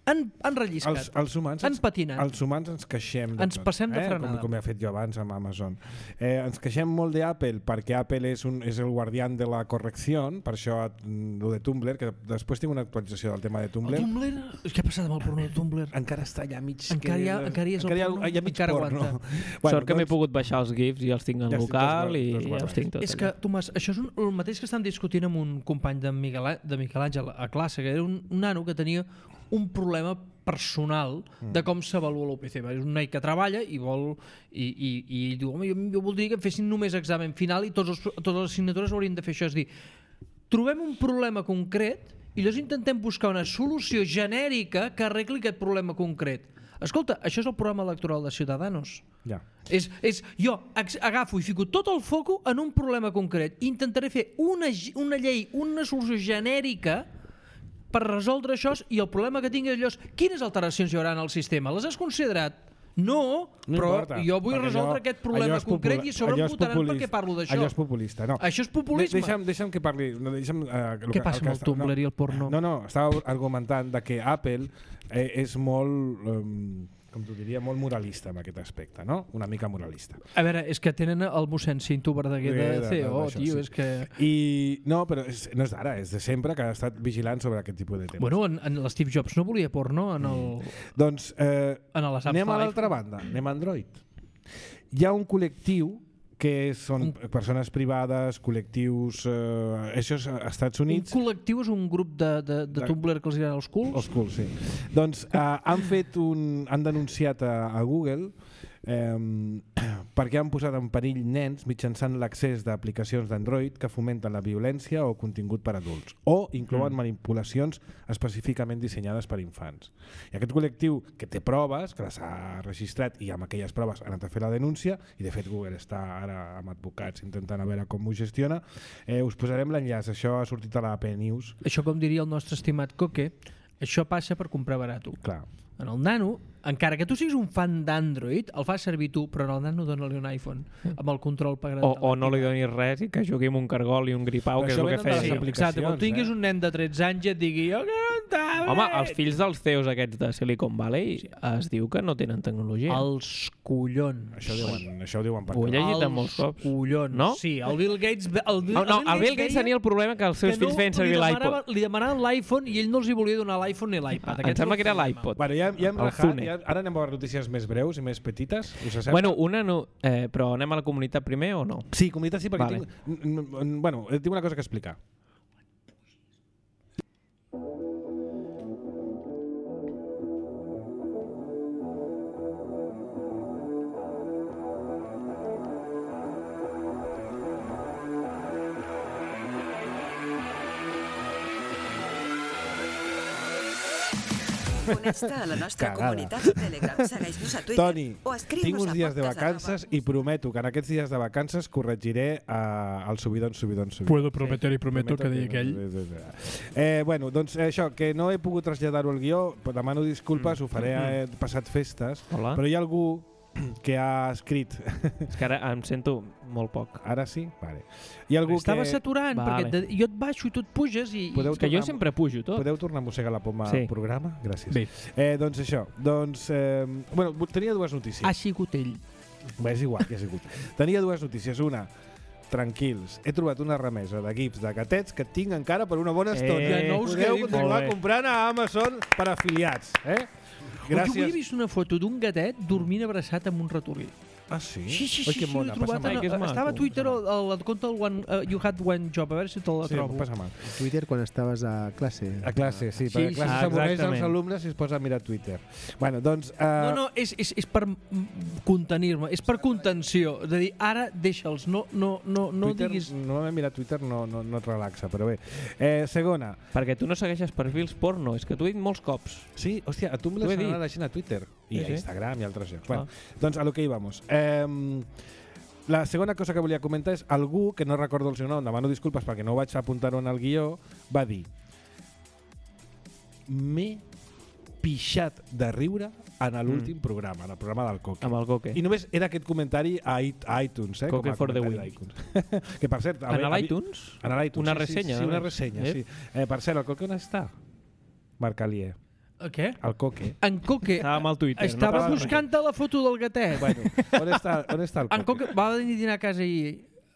han, han relliscat, Els, els humans, han ens- patinat. Els humans ens queixem de Ens tot, passem de eh? frenada. Com, com he fet jo abans amb Amazon. Eh, ens queixem molt d'Apple perquè Apple és, un, és el guardián de la correcció, per això mm, lo de Tumblr, que després tinc una actualització del tema de Tumblr. El Tumblr? Què ha passat amb el porno de Tumblr? Encara està allà mig... Encara hi ha- que- encara hi és el encara hi ha, porno? hi ha mig Encara porno. aguanta. Bueno, Sort que m'he doncs- pogut baixar els GIFs i els tinc en Ja estic local tots i guar- tots ja els guardats. tinc tots És que, allà. Tomàs, això és un, el mateix que estan discutint amb un company de Miguel, de Miquel Àngel a classe, que era un, un nano que tenia un problema personal de com s'avalua l'U P C. És un noi que treballa i vol i, i, i ell diu, home, jo, jo voldria que em fessin només examen final i tots els, totes les assignatures haurien de fer això. És dir, trobem un problema concret i llavors intentem buscar una solució genèrica que arregli aquest problema concret. Escolta, això és el programa electoral de Ciudadanos. Ja. És, és, jo agafo i fico tot el foco en un problema concret i intentaré fer una, una llei, una solució genèrica per resoldre això, i el problema que tinc és allò, quines alteracions hi haurà en el sistema? Les has considerat? No, no però importa, jo vull resoldre allò, aquest problema concret i a sobre em votaran perquè parlo d'això. Allò és populista, no. Això és populisme. De, deixa'm, deixa'm que parli... No, deixa'm, uh, Què que, passa amb el Tumblr no, i el porno? No, no, estava argumentant de que Apple eh, és molt... Um, com t'ho diria, molt moralista en aquest aspecte, no? Una mica moralista. A veure, és que tenen el mossèn Cinto Verdaguer de, de C E O, tio, sí. És que... I no, però és, no és d'ara, és de sempre que ha estat vigilant sobre aquest tipus de temes. Bueno, en, en l'Steve Jobs no volia porno en el... Mm. Doncs eh, en anem a l'altra banda, anem a Android. Hi ha un col·lectiu que són un... persones privades, col·lectius... Eh, això és als Estats Units. Un col·lectiu és un grup de, de, de, de... Tumblr que els diran els culs? Els culs, sí. Doncs eh, han fet un... han denunciat a, a Google eh, perquè han posat en perill nens mitjançant l'accés d'aplicacions d'Android que fomenten la violència o contingut per adults o inclouen mm. manipulacions específicament dissenyades per infants. I aquest col·lectiu que té proves, que les ha registrat i amb aquelles proves ha anat a fer la denúncia, i de fet Google està ara amb advocats intentant a veure com ho gestiona, eh, us posarem l'enllaç, això ha sortit a la A P News. Això, com diria el nostre estimat Coque, això passa per comprar barat. Clar. En el Nano, encara que tu siguis un fan d'Android, el fas servir tu, però en el Nano dona-li un iPhone amb el control parental. O, o no li donis res i que jugui amb un cargol i un gripau, que és el que feia. Sí, exacte, quan tinguis eh? un nen de tretze anys i et digui jo que no estava... Home, els fills dels C E Os aquests de Silicon Valley sí. es diu que no tenen tecnologia. Els collons. Això ho diuen, això ho diuen per Ho he llegit en molts cops. Els collons. No? Sí, el Bill Gates... El, no, no, el Bill Gates tenia el problema que els seus que fills no, feien servir l'iPod. Li demanaven l'iPhone i ell no els hi volia donar l'iPhone ni l'iPad. Em sembla que era l'iPod. Bueno, ja, ja hem rajat, ja, ara anem a veure notícies més breus i més petites. Us sembla? Bueno, una no, eh, però anem a la comunitat primer o no? Sí, comunitat sí, perquè vale. tinc, bueno, tinc una cosa que explicar. Connecta a la nostra Cagada. comunitat de Telegram. Segueix-nos a Twitter Toni, o escriu-nos tinc uns a dies de vacances i prometo que en aquests dies de vacances corregiré uh, el subidon, subidon, subidon. Puedo prometer i prometo, prometo que deia aquell. Eh, bueno, doncs eh, això, que no he pogut traslladar-ho al guió, demano disculpes, mm. ho faré eh, passat festes, Hola. Però hi ha algú que ha escrit... És que ara em sento molt poc. Ara sí? Vale. Hi ha algú Estava que... saturant, vale. perquè jo et baixo i tu et puges i... Podeu que jo sempre pujo tot. Podeu tornar a mossegar la poma sí. al programa? Gràcies. Bé. Eh, doncs això, doncs... Eh, bueno, tenia dues notícies. Ha sigut ell. Bé, és igual, que ha sigut. Tenia dues notícies. Una, tranquils, he trobat una remesa de gifs de gatets que tinc encara per una bona estona. Eh, no us Podeu continuar comprant a Amazon per afiliats. Eh? Gràcies. Jo avui he vist una foto d'un gatet dormint abraçat amb un ratolí. Ah, sí? Sí, sí, sí. Oi, que sí, mona, passa mal. En, estava a Twitter el, el, el compte del one, uh, You Had One Job, a veure si te la sí, trobo. Passa mal. Twitter quan estaves a classe. A classe, sí. sí perquè a classe sí. s'avorreix als alumnes i es posa a mirar Twitter. Bueno, doncs... Uh... No, no, és, és, és per contenir-me, és per contenció. És a dir, ara deixa'ls, no, no, no, no Twitter, diguis... Normalment mirar Twitter no, no, no et relaxa, però bé. Eh, segona. Perquè tu no segueixes perfils porno, és que t'ho he dit molts cops. Sí, hòstia, a tu me l'has anat la gent a Twitter. I sí, a Instagram sí. i altres llocs. Bueno, ah. Doncs a lo que íbamos. Eh, la segona cosa que volia comentar és algú, que no recordo el seu nom, demano disculpes perquè no ho vaig apuntar-ho en el guió, va dir: m'he pixat de riure en l'últim mm. programa, en el programa del Coque. Amb el Coque. I només era aquest comentari a iTunes, eh? Coque com a for the win. Que per cert... En l'iTunes? En l'iTunes, una sí, ressenya. Sí, sí, una ressenya, eh? sí. Eh, per cert, el Coque on està? Marc Alier. Què? El Coque. En Coque estava al Twitter. Estava no buscant la foto del gatet. Bueno, on està, on està el Coque? En Coque va venir a dinar a casa i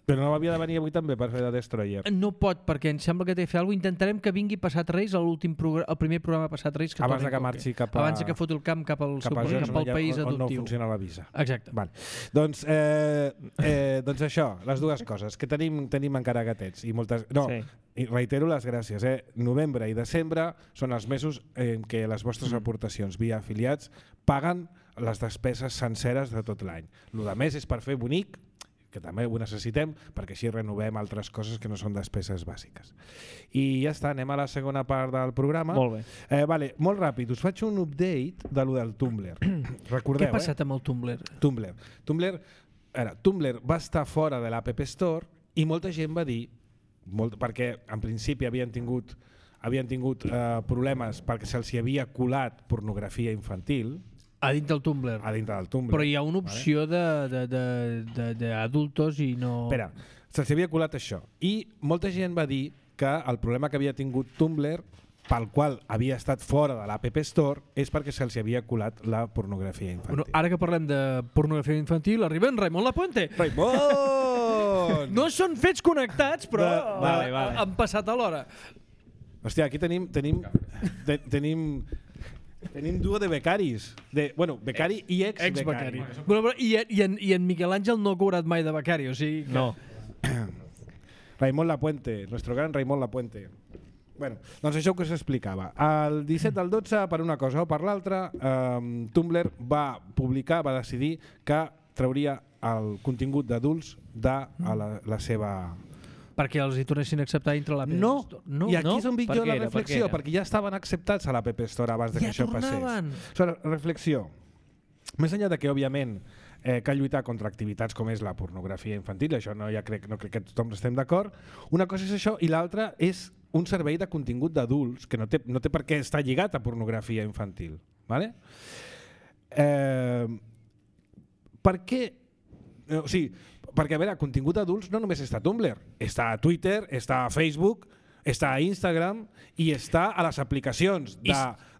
Però no havia de venir avui també per fer de Destroyer. No pot, perquè em sembla que té que fer alguna cosa. Intentarem que vingui passat Reis, a l'últim programa, el primer programa passat Reis. Que Abans torni de que com marxi cap a... Abans de que foti el camp cap al, cap seu, a cap al país on, on no adoptiu. funciona la visa. Exacte. Vale. Doncs, eh, eh, doncs això, les dues coses, que tenim, tenim encara gatets i moltes... No, Sí. i reitero les gràcies. Eh? Novembre i desembre són els mesos en què les vostres Mm. aportacions via afiliats paguen les despeses senceres de tot l'any. El de més és per fer bonic, que també ho necessitem, perquè així renovem altres coses que no són despeses bàsiques. I ja està, anem a la segona part del programa. Molt bé. Eh, vale, molt ràpid, us faig un update de lo del Tumblr. Recordeu, Què ha passat amb el Tumblr? eh? Tumblr. Tumblr, ara, Tumblr va estar fora de l'App Store i molta gent va dir, molt, perquè en principi havien tingut, havien tingut eh, problemes perquè se'ls hi havia colat pornografia infantil A dins del Tumblr. a dintre del Tumblr. Però hi ha una opció de- de- de- de- d'adultos i no... Espera, se'ls havia colat això. I molta gent va dir que el problema que havia tingut Tumblr, pel qual havia estat fora de l'App Store, és perquè se'ls havia colat la pornografia infantil. Bueno, ara que parlem de pornografia infantil, arriba en Raimon Lapuente. Raimon! No són fets connectats, però Va- vale, vale. han passat alhora. Hòstia, aquí tenim tenim te, tenim tenim duo de becaris, de, bueno, becari i ex-becari. Ex-becari. Bueno, però, i, i, en, I en Miquel Àngel no ha cobrat mai de becari, o sigui que... No. Raimon Lapuente, nuestro gran Raimon Lapuente. Bueno, doncs això que us explicava. El disset del dotze, per una cosa o per l'altra, eh, Tumblr va publicar, va decidir que trauria el contingut d'adults de a la, la seva... Perquè els hi tornessin a acceptar dintre la No, Store. No, i aquí no? és on vinc Per jo què la era? Per què reflexió, era? perquè ja estaven acceptats a l'App Store abans de que Ja això tornaven. passés. O sigui, reflexió. Més enllà de que, òbviament, eh, cal lluitar contra activitats com és la pornografia infantil, això no, ja crec, no crec que tothom estem d'acord, una cosa és això i l'altra és un servei de contingut d'adults que no té, no té per què estar lligat a pornografia infantil. ¿Vale? Eh, per què? Eh, o sigui, perquè, a veure, contingut d'adults no només està a Tumblr, està a Twitter, està a Facebook, està a Instagram i està a les aplicacions de,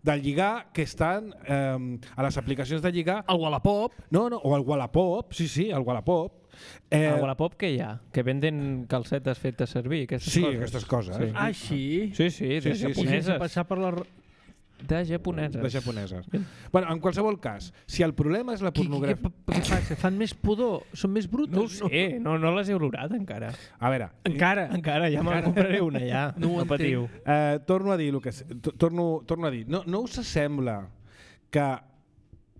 de lligar que estan eh, a les aplicacions de lligar. El Wallapop. No, no, o el Wallapop, sí, sí, el Wallapop. Eh, A Wallapop què hi ha? Que venden calcetes fetes servir, aquestes sí, coses. aquestes coses. Sí. Ah, sí? Sí, sí, de Sí, sí, sí. japoneses. Sense passar per la... De japoneses. de japoneses. Bueno, en qualsevol cas, si el problema és la Qui, qui, què, pornografia... què passa? Fan més pudor? Són més brutes? No ho sé, no, no les he olorat encara. A veure, Encara. Encara, ja me'n compraré una, ja. No ho No patiu. entenc. Eh, torno a dir el que to- torno, torno a dir, no, no us sembla que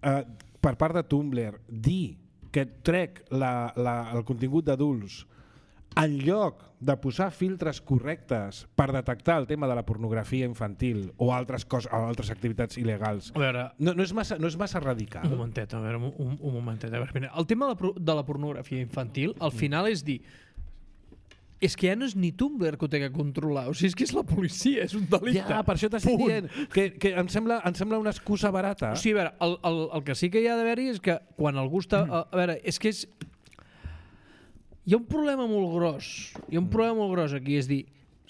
eh, per part de Tumblr dir que trec la, la, el contingut d'adults en lloc de posar filtres correctes per detectar el tema de la pornografia infantil o altres coses o altres activitats il·legals A veure, no, no, és, massa, no és massa radical? un momentet, a veure, un, un momentet. A veure, mira, el tema de la, pro- de la pornografia infantil, al final és dir, és que ja no és ni Tumblr que ho té que controlar, o sigui, és que és la policia, és un delicte. Ja, per això t'estic Punt. dient que, que em, sembla, em sembla una excusa barata. O sigui, a veure, el, el, el que sí que hi ha d'haver-hi és que quan algú està... A, a veure, és que és... Hi ha un problema molt gros, hi ha un problema molt gros aquí, és dir,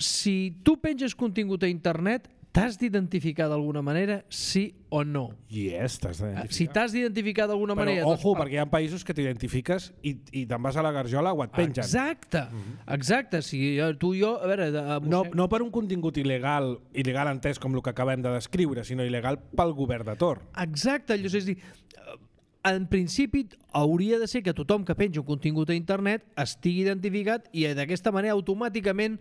si tu penges contingut a internet, t'has d'identificar d'alguna manera, sí o no. Yes, t'has d'identificar. Si t'has d'identificar d'alguna Però, manera... ojo, doncs, perquè hi ha països que t'identifiques i, i te'n vas a la garjola o et pengen. Exacte, exacte. Si eh, tu i jo, a veure... De, No, no per un contingut il·legal, il·legal entès com el que acabem de descriure, sinó il·legal pel govern de Tor. Exacte, allò, és a dir, en principi hauria de ser que tothom que penja un contingut a internet estigui identificat i d'aquesta manera automàticament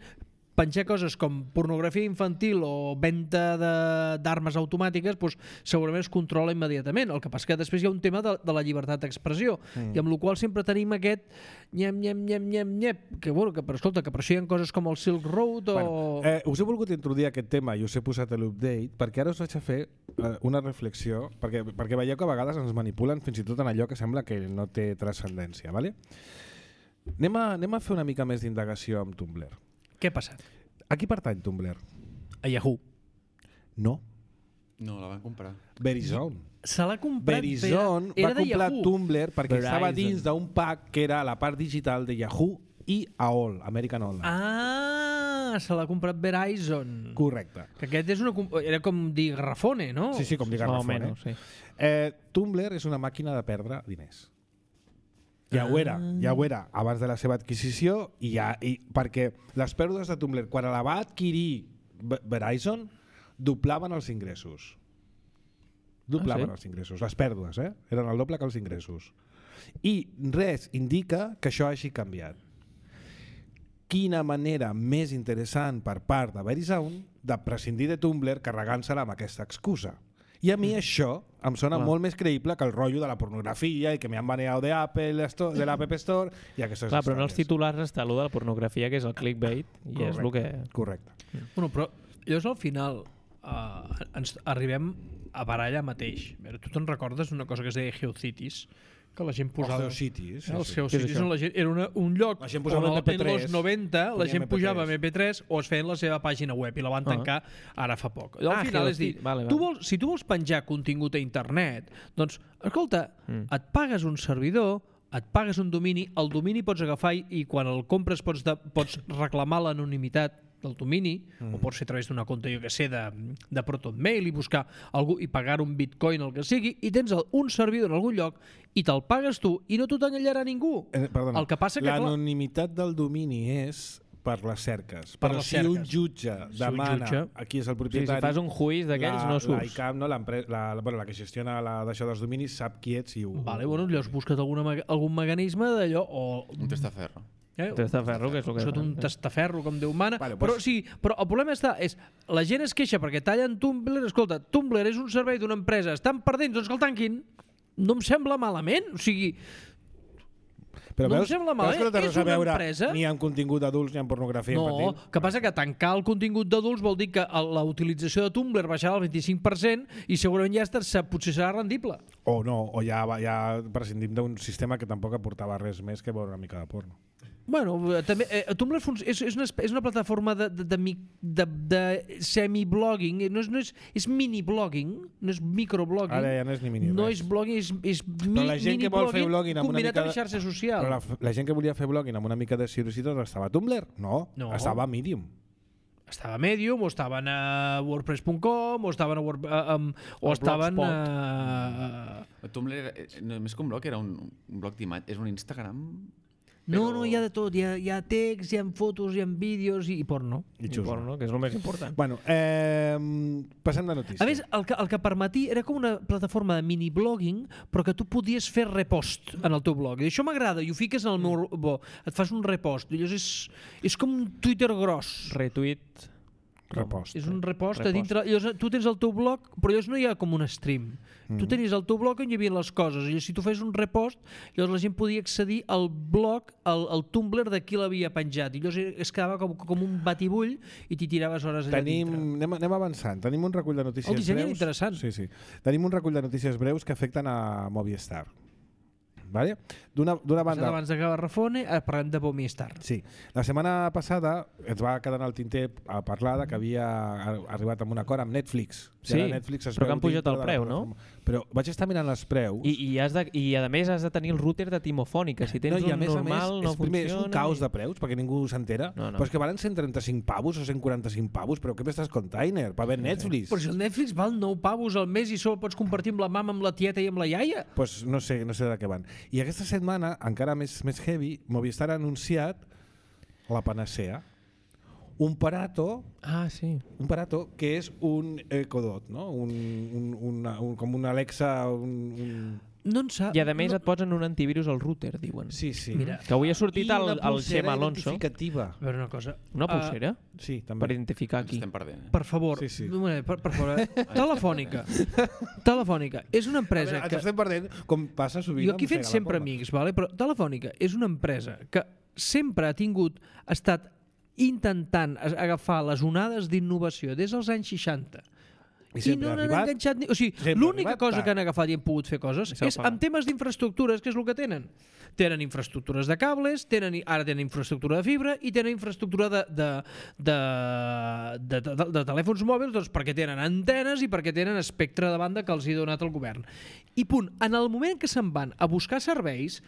penjar coses com pornografia infantil o venda de- d'armes automàtiques doncs, segurament es controla immediatament. El que passa que després hi ha un tema de, de la llibertat d'expressió mm. i amb la qual sempre tenim aquest nyem, nyem, nyem, nyem, nyem, que, bueno, que, però, escolta, que per això hi ha coses com el Silk Road o... Bueno, eh, us he volgut introduir aquest tema i us he posat a l'update perquè ara us vaig a fer eh, una reflexió perquè, perquè veieu que a vegades ens manipulen fins i tot en allò que sembla que no té transcendència. ¿Vale? Anem, a, anem a fer una mica més d'indagació amb Tumblr. Què ha passat? A qui pertany Tumblr? A Yahoo. No. No, la van comprar. Verizon. Se l'ha comprat... Verizon era, va era de comprar Yahoo. Tumblr perquè Verizon. estava dins d'un pack que era la part digital de Yahoo i A O L, American Online. Ah, se l'ha comprat Verizon. Correcte. Que aquest és una, comp- era com dir Garrafone, no? Sí, sí, com dir Más o Garrafone. menos, sí. Eh, Tumblr és una màquina de perdre diners. Ja ho era, ja ho era abans de la seva adquisició i ja, i, perquè les pèrdues de Tumblr quan la va adquirir Verizon doblaven els ingressos. Doblaven Ah, sí? els ingressos, les pèrdues, eh? Eren el doble que els ingressos. I res indica que això hagi canviat. Quina manera més interessant per part de Verizon de prescindir de Tumblr carregant-se-la amb aquesta excusa. I a mi mm. això em sona Clar. molt més creïble que el rotllo de la pornografia i que me han baneado de Apple Store, de l'App Store i aquestes Clar, però en els històries. titulars està allò de la pornografia, que és el clickbait, i és el que... Correcte. Bueno, però llavors al final uh, ens arribem a barallar mateix. A veure, tu te'n recordes una cosa que es deia Geocities? Que la gent posava... Els Geocities, sí, eh, els sí. Geocities on la gent, era una, un lloc La gent posava on M P tres, en els noventa la ponia gent M P tres. pujava M P tres o es feien la seva pàgina web i la van tancar ara fa poc. Al Ah, final és dir, Geocities, vale, tu vale. vols, si tu vols penjar contingut a internet, doncs, escolta, Mm. et pagues un servidor, et pagues un domini, el domini pots agafar i, i quan el compres pots, de, pots reclamar l'anonimitat del domini, mm. o pot ser a través d'una compte, jo que sé, de, de ProtonMail i buscar algú i pagar un bitcoin o el que sigui, i tens el, un servidor en algun lloc i te'l pagues tu i no t'ho t'enganyarà ningú. Eh, perdona, El que passa que, clar, l'anonimitat del domini és per les cerques. Per Però les si un cerques. jutge un demana jutge- aquí és el Sí, propietari... si fas un juiz d'aquells la- no La surts. ICAM, no, l'empre- la, bueno, la que gestiona la, d'això dels dominis, sap qui ets i ho... vale, bueno, llavors busca't alguna, me- algun mecanisme d'allò, o... Un testaferro. Eh, Testaferro, que és el que... sota un fan, eh? testaferro, com Déu mana. Vale, però, pues- sí, però el problema està, és la gent es queixa perquè tallen Tumblr. Escolta, Tumblr és un servei d'una empresa, estan perdent, doncs que el tanquin. No em sembla malament, o sigui... Però no em veus, sembla veus malament, que no té és res a una veure empresa. ni amb contingut d'adults ni amb pornografia No, infantil? que passa que tancar el contingut d'adults vol dir que el- la utilització de Tumblr baixarà al vint-i-cinc per cent i segurament ja està, se- potser serà rendible. O no, o ja, va- ja prescindim d'un sistema que tampoc aportava res més que veure una mica de porno. Bueno, eh, també, eh, Tumblr fun- és, és, una, espe- és una plataforma de, de, de, mi- de, de semi-blogging, no és, no és, és mini-blogging, no és microblogging. Ara ja no és ni mini No res. és blogging, és, és mi, Però la gent que vol fer blogging amb una combinat mica amb de- xarxa social. Però la, la gent que volia fer blogging amb una mica de seriositat estava a Tumblr? No, No. estava a Medium. Estava a Medium, o estaven a wordpress punt com, o estaven a, Word, a, um, o Al estaven Blogspot. a... El Tumblr, era, eh, no, més que un blog, era un, un blog d'imatge. És un Instagram... No, Però- no, hi ha de tot. Hi ha, hi ha text, hi ha fotos, hi ha vídeos i, i porno. I I xusma. porno, que és el més important. Bueno, eh, passem de notícia. A més, el que, el que permetia era com una plataforma de mini-blogging, però que tu podies fer repost en el teu blog. I això m'agrada, i ho fiques en el meu... Bo, et fas un repost. I llavors és, és com un Twitter gros. Retuit... Repost. És un repost, Repost. a dintre... Llavors, tu tens el teu blog, però llavors no hi ha com un stream. Mm. Tu tenies el teu blog on hi havia les coses. I si tu fes un repost, llavors la gent podia accedir al blog, al, al Tumblr de qui l'havia penjat. I llavors es quedava com, com un batibull i t'hi tiraves hores allà Tenim, dintre. anem, anem avançant. Tenim un recull de notícies El disseny era breus. interessant. Sí, sí. Tenim un recull de notícies breus que afecten a Movistar. Vale? D'una d'una banda... Abans d'acabar Rafone, eh, parlem de Movistar. Sí. La setmana passada ens va quedar en el tinter a parlar de que havia arribat amb un acord amb Netflix. I Sí, ara Netflix es però que veu han pujat dintre el de la preu, no? plataforma. Però vaig estar mirant els preus. I, i, has de, I a més has de tenir el router de Timofònica. Si tens no, i a un més, normal a més, no és, primer, és funciona. un caos i- de preus perquè ningú s'entera. No, no. Però és que valen cent trenta-cinc pavos o cent quaranta-cinc pavos, però què m'estàs container? Per veure Netflix? Però si el Netflix val nou pavos al mes i solo pots compartir amb la mama, amb la tieta i amb la iaia. Pues no sé, no sé de què van. I aquesta setmana, encara més, més heavy, Movistar ha anunciat la panacea. Un parato, Ah, sí. un parato que és un Echo Dot, no? Un, un, una, un, com un Alexa... Un, un... No en sap. I a més no, et posen un antivirus al router, diuen. Sí, sí. Mira, Que avui ha sortit I el, una el pulsera Xema Alonso. identificativa. a veure una cosa. Una pulsera? Sí, Per també. identificar Ens aquí. estem perdent. Eh? Uh, per favor, Sí, sí. un moment, per, per favor. eh? Telefònica. Telefònica és una A empresa veure, que... ens estem perdent, com passa sovint. Jo aquí amb fent Mossega la sempre Poma. amics, vale? Però Telefònica és una empresa que sempre ha tingut, ha estat intentant a- agafar les onades d'innovació des dels anys seixanta. I I sempre no ha n'han arribat. enganxat ni... O sigui, sempre ha l'única arribat cosa tard. que han agafat i han pogut fer coses I s'ha és pagat. en temes d'infraestructures, que és el que tenen. Tenen infraestructures de cables, tenen, ara tenen infraestructura de fibra i tenen infraestructura de, de, de, de, de, de, de telèfons mòbils, doncs perquè tenen antenes i perquè tenen espectre de banda que els hi ha donat el govern. I punt, en el moment que se'n van a buscar serveis,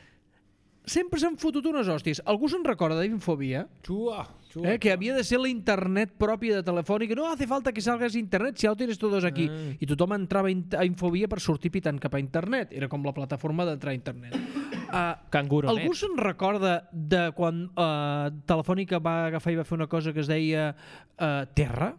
sempre s'han fotut unes hòsties. Algú se'n recorda d'Infobia? Xua, xua. Eh, que havia de ser la internet pròpia de Telefònica. No hace falta que salgas a internet, si ja ho tienes todos aquí. Ah. I tothom entrava a Infobia per sortir pitant cap a internet. Era com la plataforma d'entrar a internet. Uh, Canguronet. algú se'n recorda de quan uh, Telefònica va agafar i va fer una cosa que es deia uh, Terra?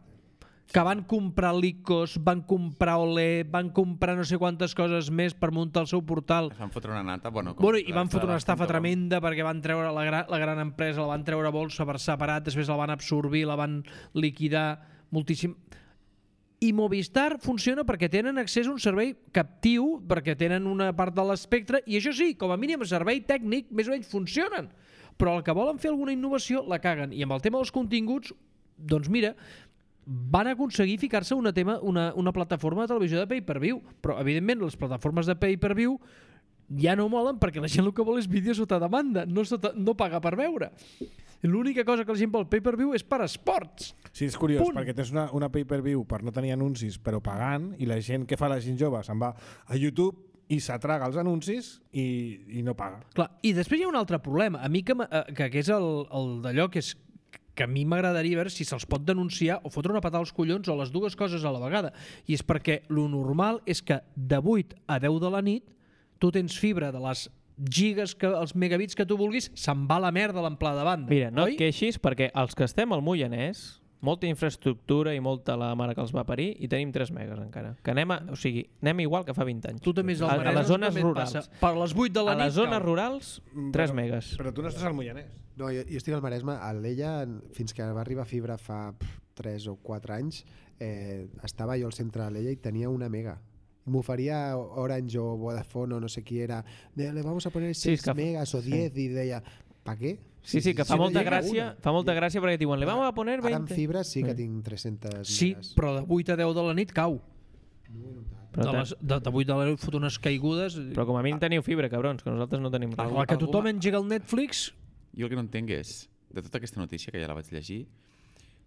Que van comprar l'Icos, van comprar Olé, van comprar no sé quantes coses més per muntar el seu portal. Es van fotre una nata, bueno... Bueno, i van fotre una estafa tremenda perquè van treure la gran, la gran empresa, la van treure a bolsa per separat, després la van absorbir, la van liquidar moltíssim. I Movistar funciona perquè tenen accés a un servei captiu, perquè tenen una part de l'espectre, i això sí, com a mínim servei tècnic, més o menys funcionen. Però el que volen fer alguna innovació la caguen. I amb el tema dels continguts, doncs mira, van aconseguir ficar-se una, tema, una, una plataforma de televisió de pay-per-view, però evidentment les plataformes de pay-per-view ja no molen perquè la gent el que vol és vídeo sota demanda, no, sota, no paga per veure. L'única cosa que la gent vol pay-per-view és per esports. Sí, és curiós, Punt. perquè tens una, una pay-per-view per no tenir anuncis però pagant, i la gent, què fa la gent jove? Se'n va a YouTube i s'atraga els anuncis i, i no paga. Clar, i després hi ha un altre problema, a mi que, que, que és el, el d'allò que és que a mi m'agradaria veure si se'ls pot denunciar o fotre una patada als collons o les dues coses a la vegada. I és perquè lo normal és que de vuit a deu de la nit tu tens fibra de les gigas, que, els megabits que tu vulguis, se'n va la merda l'amplada de banda. Mira, no oi? et queixis perquè els que estem al Moianès, molta infraestructura i molta la mare que els va parir, i tenim tres megas encara. Que anem, a, o sigui, anem igual que fa vint anys. Tu també és al a, Maresme, a les zones també et rurals. passa. Per les vuit de la a nit les zones cau. rurals, tres Però- megas. Però tu no estàs al Moianès. No, jo, jo estic al Maresme. A l'Ella, fins que va arribar fibra fa tres o quatre anys, eh, estava jo al centre de l'Ella i tenia una mega. M'oferia Orange o Vodafone o no sé qui era, de, le vamos a poner Sí, seis és que- megas o diez, i deia, ¿pa què? Sí, sí, que fa no molta llega gràcia, una. fa molta gràcia perquè et diuen, le vamos a poner Ara amb veinte. fibra sí que Sí. tinc tres-centes Sí, megas. però de vuit a deu de la nit cau. Però, De, te- les, de, de vuit de la nit fot unes caigudes. però com a mínim teniu fibra, cabrons, que nosaltres no tenim res. Igual que Algú- tothom algú- engega el Netflix, Jo el que no entenc és, de tota aquesta notícia que ja la vaig llegir,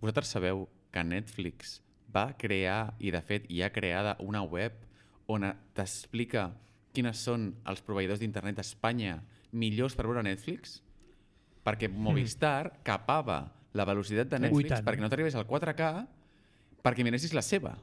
vosaltres sabeu que Netflix va crear, i de fet hi ha creada una web on t'explica quines són els proveïdors d'internet a Espanya millors per veure Netflix? Perquè Movistar capava la velocitat de Ui, Netflix tant. perquè no t'arribés al quatre K perquè miressis la seva.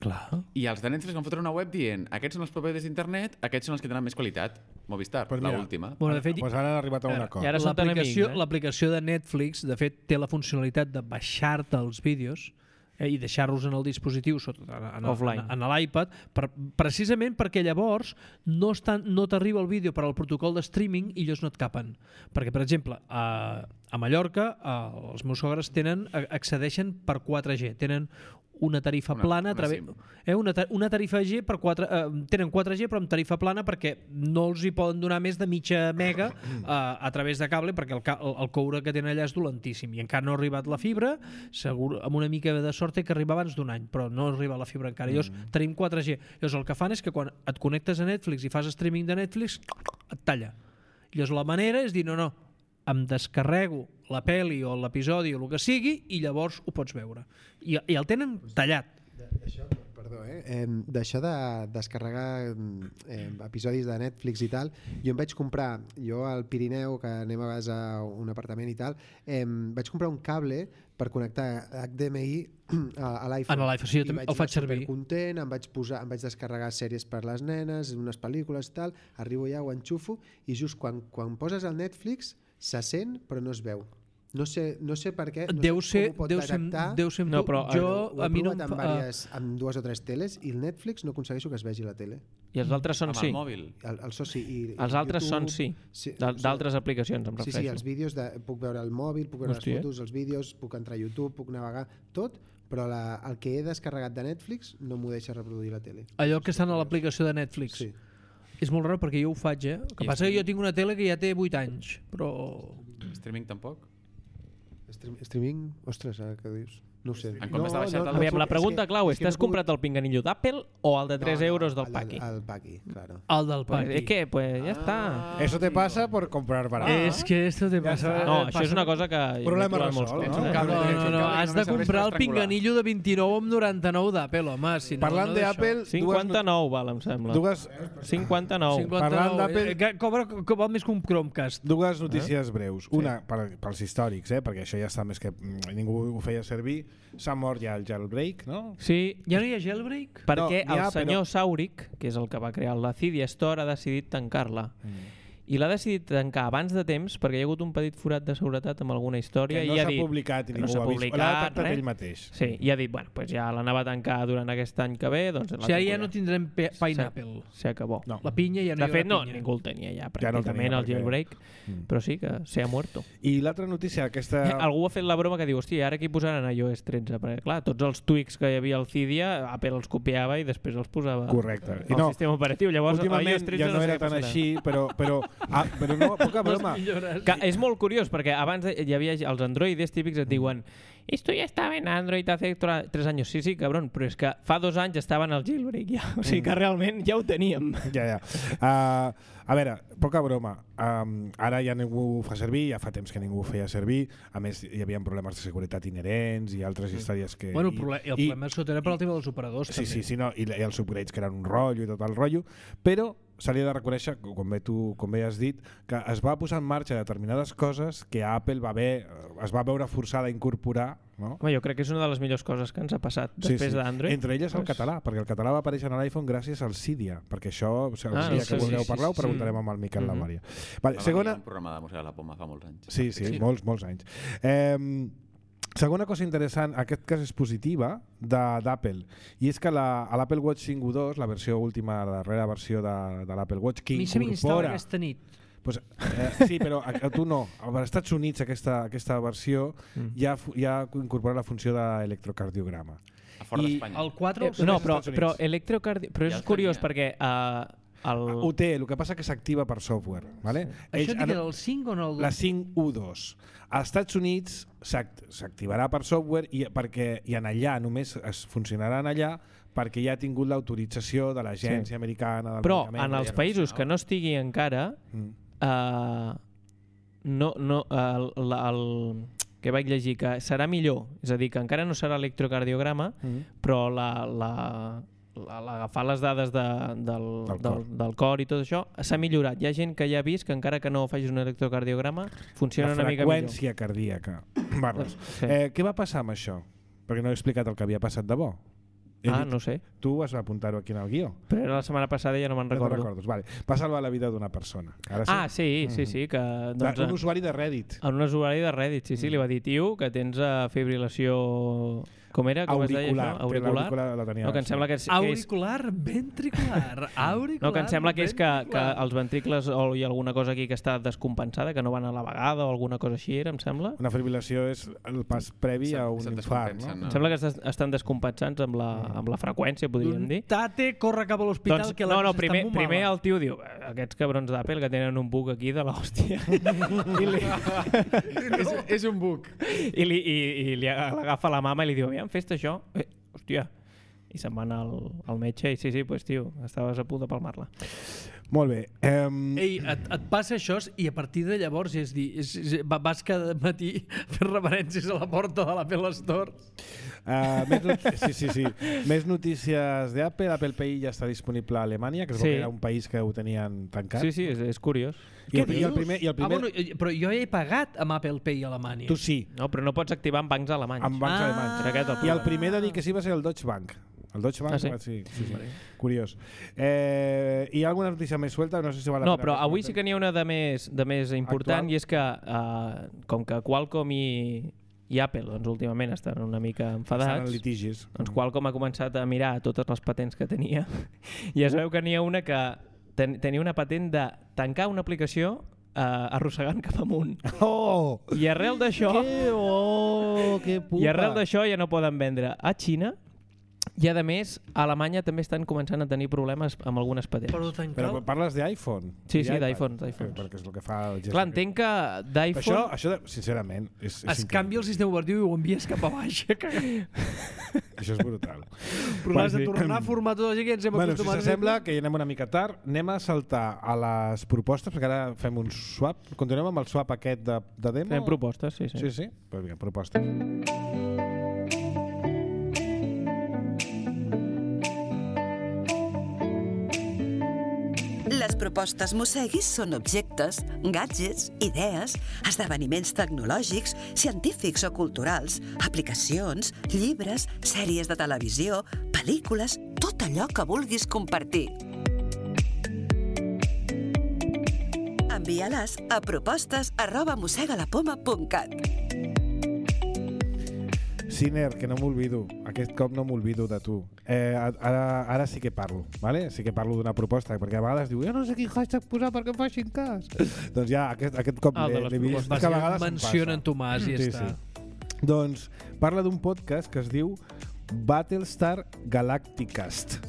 clar. I els de Netflix van fotre una web dient aquests són els proveïdors d'internet, aquests són els que tenen més qualitat. Movistar, Pues mira, l'última. Bueno, de fet, Pues ara han arribat a un acord. I ara són tan l'aplicació amics, eh? l'aplicació de Netflix, de fet, té la funcionalitat de baixar-te els vídeos eh, i deixar-los en el dispositiu sota, en, en, Offline. en, en l'iPad, per, precisament perquè llavors no, estan, no t'arriba el vídeo per al protocol de streaming i ells no et capen. Perquè, per exemple, a, a Mallorca eh, els meus sogres tenen, accedeixen per quatre G, tenen una tarifa Una- plana a una través, SIM. eh, una, ta una tarifa G per quatre, eh, tenen quatre G però amb tarifa plana perquè no els hi poden donar més de mitja mega eh, a través de cable perquè el, ca el, el coure que tenen allà és dolentíssim i encara no ha arribat la fibra, segur, amb una mica de sort té que arribar abans d'un any, però no arriba la fibra encara. Llavors tenim quatre G. Llavors el que fan és que quan et connectes a Netflix i fas streaming de Netflix et talla. Llavors la manera és dir no, no, em descarrego la pel·li o l'episodi o el que sigui i llavors ho pots veure. I, i el tenen tallat. D'això, perdó, eh? eh d'això de descarregar eh, episodis de Netflix i tal, jo em vaig comprar, jo al Pirineu, que anem a vegades a un apartament i tal, eh, vaig comprar un cable per connectar H D M I a, a l'iPhone. En l'iPhone, sí, jo I també vaig el faig anar servir. supercontent, em vaig, posar, em vaig descarregar sèries per les nenes, unes pel·lícules i tal, arribo ja, ho enxufo, i just quan, quan poses el Netflix se sent però no es veu. No sé, no sé per què, no Deu sé ser, com ho pot deu ser, detectar. deu ser amb No, tu. però, jo, Ho he a mi no provat em amb, fa... diverses, amb dues o tres teles i el Netflix no aconsegueixo que es vegi la tele. I els altres són Amb sí. el mòbil. El, el so sí. I, Els altres són sí. sí D'al- D'altres aplicacions, em Sí, refereixo. sí, els vídeos, de, puc veure el mòbil, puc veure Hòstia. les fotos, els vídeos, puc entrar a YouTube, puc navegar, tot, però la, el que he descarregat de Netflix no m'ho deixa reproduir la tele. Allò que estan a l'aplicació de Netflix. Sí. És molt raro perquè jo ho faig, eh? El que I passa que streaming? jo tinc una tele que ja té vuit anys, però... Streaming tampoc? Stream, streaming, ostres, ara que dius? No ho sé. En comptes de baixar-te el- Aviam, la és pregunta que- clau és, que no t'has he pogut- comprat el pinganillo d'Apple o el de tres euros del el, Paqui? El, el Paqui, claro. El del Pues, Paqui. es que, pues, ya está. Eso te pasa por comprar barato. És que esto te passa... No, això és una cosa que... jo Problema m'he trobat molts resolt, cops, no? eh? cable, No, tens no, un no, cable que has de només serveix comprar per el estrangular. pinganillo de vint-i-nou amb noranta-nou d'Apple, home. Si no, Parlant no d'Apple, dues, cinquanta-nou val, em sembla. dues, cinquanta-nou. Parlant d'Apple- Eh, que cobra, que val més que un Chromecast. dues notícies breus. Una, per, pels històrics, eh, perquè això ja està més que... mm, ningú ho feia servir. S'ha mort ja el jailbreak, no? Sí, Ja no hi ha jailbreak? perquè No, n'hi ha, el senyor però- Sauric, que és el que va crear la Cydia Store, ha decidit tancar-la. Mm. i l'ha decidit tancar abans de temps perquè hi ha hagut un petit forat de seguretat amb alguna història que no i ha s'ha dit, publicat i no ningú s'ha ho ha vist. publicat, L'ha detectat res. ell mateix. Sí, i ha dit, bueno, pues ja l'anava a tancar durant aquest any que ve, doncs... O sigui, ara ja no tindrem pe- Pineapple. Se acabó. No. La pinya ja no De hi fet, no, haurà pinya. ningú el tenia ja, Ja no el pràcticament, tenia, el perquè- jailbreak, Mm. però sí que se ha muerto. I l'altra notícia, aquesta... Eh, algú ha fet la broma que diu, hòstia, ara aquí posaran iOS tretze, perquè clar, tots els tweaks que hi havia al Cydia, Apple els copiava i després els posava Correcte. I al no, sistema operatiu. Llavors, últimament iOS tretze ja no sé era què tan passarà. així, però, però, ah, però no, poca broma. Que és molt curiós, perquè abans de- hi havia els androides típics et diuen esto ya estaba en Android hace tra- tres años. Sí, sí, cabrón, però és que fa dos anys estava en el jailbreak ja. O sigui que realment ja ho teníem. Ja, ja. Uh, a veure, poca broma. Um, ara ja ningú ho fa servir, ja fa temps que ningú ho feia servir. A més, hi havia problemes de seguretat inherents i altres històries que... Bueno, el, i, proble el i, problema sota era per al tema dels operadors, Sí, també. sí, sí, no, i, i els upgrades que eren un rotllo i tot el rotllo, però se li ha de reconèixer, com bé tu com bé has dit, que es va posar en marxa determinades coses que Apple va haver, es va veure forçada a incorporar, no? Home, jo crec que és una de les millors coses que ens ha passat després sí, sí. d'Android. Entre elles el Pues- català, perquè el català va aparèixer en l'iPhone gràcies al Cydia, perquè això, o sigui, el Ah, dia sí, que vulgueu sí, parlar, ho sí, preguntarem sí. amb el Miquel Mhm. Lamària. Vale, Va segona... venir un programa de Museu de la Poma fa molts anys. Sí, sí, Sí. molts, molts anys. Eh, segona cosa interessant, en aquest cas és positiva, de- d'Apple, i és que la, a l'Apple Watch cinc u dos, la versió última, la darrera versió de, de l'Apple Watch, que A mi se m'instal·la incorpora... aquesta nit. Pues, eh, sí, però a, a tu no. Als Estats Units aquesta, aquesta versió Mm. ja, fu- ja incorpora la funció d'electrocardiograma. A fora I d'Espanya. El quatre... Eh, el no, als però, Estats però Units. electrocardi... Però Ja és el curiós tenia. perquè uh, el... Ho té, el que passa que s'activa per software. Vale? Això Ells dic han- era el cinc o no el La cinc u dos. Als Estats Units s'act- s'activarà per software i, perquè, i en allà només es funcionarà en allà perquè ja ha tingut l'autorització de l'Agència Sí. Americana del Però Medicament. en els països que no estigui encara Mm. uh, no, no, el, el, el, que vaig llegir que serà millor, és a dir, que encara no serà electrocardiograma, Mm. però la, la, la, l'agafar les dades de, del, Del del, cor. del, del cor i tot això s'ha millorat. Hi ha gent que ja ha vist que encara que no facis un electrocardiograma funciona La una mica millor. freqüència cardíaca. Barres. Sí. Eh, què va passar amb això? Perquè no he explicat el que havia passat de bo. He Ah, dit- no sé. Tu vas apuntar-ho aquí en el guió. Però era la setmana passada i ja no me'n No te'n recordo. recordes. Vale. Va salvar la vida d'una persona. Ara sí? Ah, sí, sí, sí. Que, doncs, un usuari de Reddit. en un usuari de Reddit, sí, sí, li va dir, tio, que tens uh, fibrilació... Com era? Com es deia Auricular. això? Té Auricular? l'auricular la tenia No, que em abans. sembla que és, que és, Auricular, ventricular, auricular, no, que em sembla que és que, que ventricular. els ventricles o hi ha alguna cosa aquí que està descompensada, que no van a la vegada o alguna cosa així era, em sembla. Una fibrilació és el pas previ Se- a un se infart, descompensen, no? Em sembla que estan- estan descompensats amb la, amb la freqüència, podríem dir. Tate, corre cap a l'hospital, Doncs, que no, la no, cosa primer, està molt primer mala. el tio diu "Eh, aquests cabrons d'Apple que tenen un bug aquí de l'hòstia I, li, és, és un buc. i, li, i, i li agafa la mama i li diu aviam, fes-te això eh, hòstia i se'n va anar al, al metge i sí, sí, pues, tio, estaves a punt de palmar-la. Molt bé. Um, Ei, et, et passa això i a partir de llavors és dir, és, és, va- vas cada matí fer referències a la porta de l'Apple Store. Uh, més not sí, sí, sí. Més notícies d'Apple. Apple Pay ja està disponible a Alemanya, que es veu Sí. que era un país que ho tenien tancat. Sí, sí, és, és curiós. I, el, i el primer, i el primer Ah, bueno, eh, però jo he pagat amb Apple Pay a Alemanya. tu sí, No, però no pots activar en bancs alemanys. amb bancs Ah. alemanys. Era aquest el I el problema. primer de dir que sí va ser el Deutsche Bank. El Deutsche Bank, Ah, sí? va- sí, sí, sí. Curiós. Eh, hi ha alguna notícia més suelta? No sé si val la No, pena però que avui comentem. sí que n'hi ha una de més, de més important Actual. i és que uh, com que Qualcomm i, i Apple doncs, últimament estan una mica Estan enfadats, en litigis. doncs Qualcomm ha començat a mirar totes les patents que tenia i es veu que n'hi ha una que ten, tenia una patent de tancar una aplicació uh, arrossegant cap amunt. Oh! I arrel d'això Que oh, que pupa! i arrel d'això ja no poden vendre a Xina i a més a Alemanya també estan començant a tenir problemes amb algunes patents. Però tancar... Però parles d'iPhone? Sí, I sí, d'iPad? d'iPhones, d'iPhones. Perquè és el que fa el gest. Clar, entenc que Això, d'iPhone... això, sincerament, és, és Es canvia el sistema operatiu i ho envies cap a baix. increïble. Això és brutal. Però l'has de Perquè- tornar a formatar tota la gent que ens hem Bueno, si acostumat. s'assembla que ja anem una mica tard, anem a saltar a les propostes, perquè ara fem un swap. Continuem amb el swap aquest de, de demo? Fem propostes, sí, sí. Sí, sí? Pues bien, propostes. Les propostes Mosseguis són objectes, gadgets, idees, esdeveniments tecnològics, científics o culturals, aplicacions, llibres, sèries de televisió, pel·lícules, tot allò que vulguis compartir. A Envia-les a propostes arroba mossegalapoma punt cat. Siner, que no m'olvido, aquest cop no m'olvido de tu. Eh, ara, ara sí que parlo, ¿vale? Sí que parlo d'una proposta, perquè a vegades diu, jo no sé quin hashtag posar perquè em facin cas. Doncs ja, aquest, aquest cop Ah, de l'he les l'he vist, propostes. que a vegades em Mencionen passa. Tomàs i ja Sí, està. sí. Doncs parla d'un podcast que es diu Battlestar Galacticast.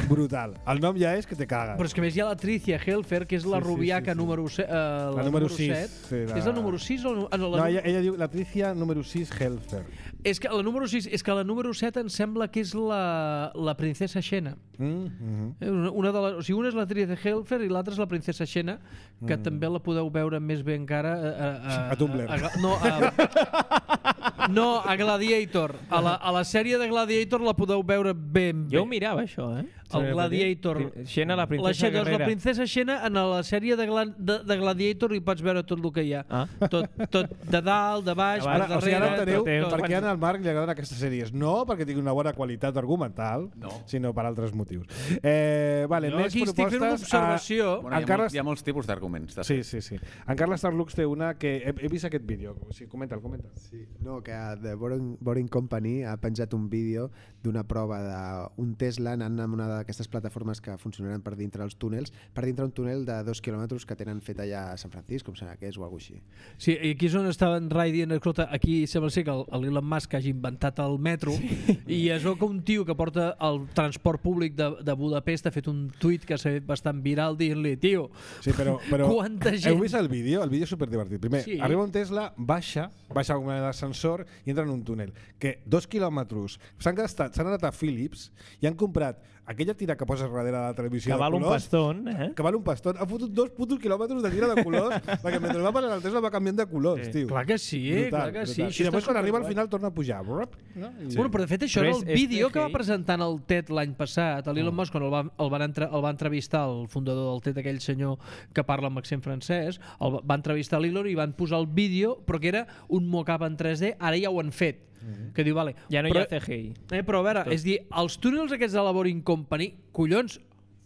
Brutal. El nom ja és que te cagues. Però és que a més hi ha la Tricia Helfer, que és la Sí, sí, rubiaca sí, sí. número set. Eh, la, La número número sis, set. sí, la- És la número sis o la, ah, no, la No, nu- ella, ella diu la Tricia número sis Helfer. És que la número sis, és que la número set em sembla que és la, la princesa Xena. Mm -hmm. Eh, Una, una de les, o sigui, una és la Tricia Helfer i l'altra és la princesa Xena, que mm. també la podeu veure més bé encara a, a, a, A Tumblr. A, a, no, a, no, a Gladiator. A la, a la sèrie de Gladiator la podeu veure ben bé. Jo ho mirava, això, eh? El Gladiator. Xena, la La, princesa Xena, doncs, la guerrera. princesa Xena, en la sèrie de, gla, de, de Gladiator hi pots veure tot el que hi ha. Ah. Tot, tot de dalt, de baix, Ara, per O sigui, darrere... ara enteneu tot, tot. per què al Marc li agraden aquestes sèries. No perquè tingui una bona qualitat argumental, No. sinó per altres motius. Eh, vale, Jo més aquí estic fent una propostes. observació. Bueno, hi, ha Encara molts, hi ha molts tipus d'arguments. de Sí, fet. sí, sí. En Carles Tarlux té una que... He, he vist aquest vídeo. O sigui, comenta'l, comenta'l. Sí, no, que The Boring, Boring Company ha penjat un vídeo d'una prova d'un Tesla anant amb una d'aquestes plataformes que funcionaran per dintre els túnels, per dintre un túnel de dos quilòmetres que tenen fet allà a San Francisco, com serà que és o alguna cosa així. Sí, i aquí és on estaven Rai dient, escolta, aquí sembla ser que el, el Elon Musk hagi inventat el metro sí. i es veu que un tio que porta el transport públic de, de Budapest ha fet un tuit que s'ha fet bastant viral dient-li, tio, Sí, però, però quanta gent... heu vist el vídeo? El vídeo és superdivertit. Primer, Sí. sí. arriba un Tesla, baixa, baixa com un ascensor i entra en un túnel. Que dos quilòmetres s'han gastat, s'han anat a Philips i han comprat aquella tira que poses darrere de la televisió Que val de un colors, pastón, eh? que val un pastón. Ha fotut dos putos quilòmetres de tira de colors perquè mentre va passant el Tesla va canviant de colors, Sí. tio. Clar que sí, Brutal, clar que brutal. sí. I Això després està quan arriba al superguai. final torna a pujar. Brup, no? I- Sí. Bueno, però de fet això Però era és- el és vídeo que va C G I. presentant el T E D l'any passat. L'Elon Musk, quan el va, el, van entre, el va entrevistar el fundador del T E D, aquell senyor que parla amb accent francès, el va, va entrevistar l'Elon i van posar el vídeo, però que era un mock-up en tres D, ara ja ho han fet. Mm-hmm. Que diu, vale, Ja no però, hi ha C G I. Eh, però a veure, és dir, els túnels aquests de la Boring Company, collons,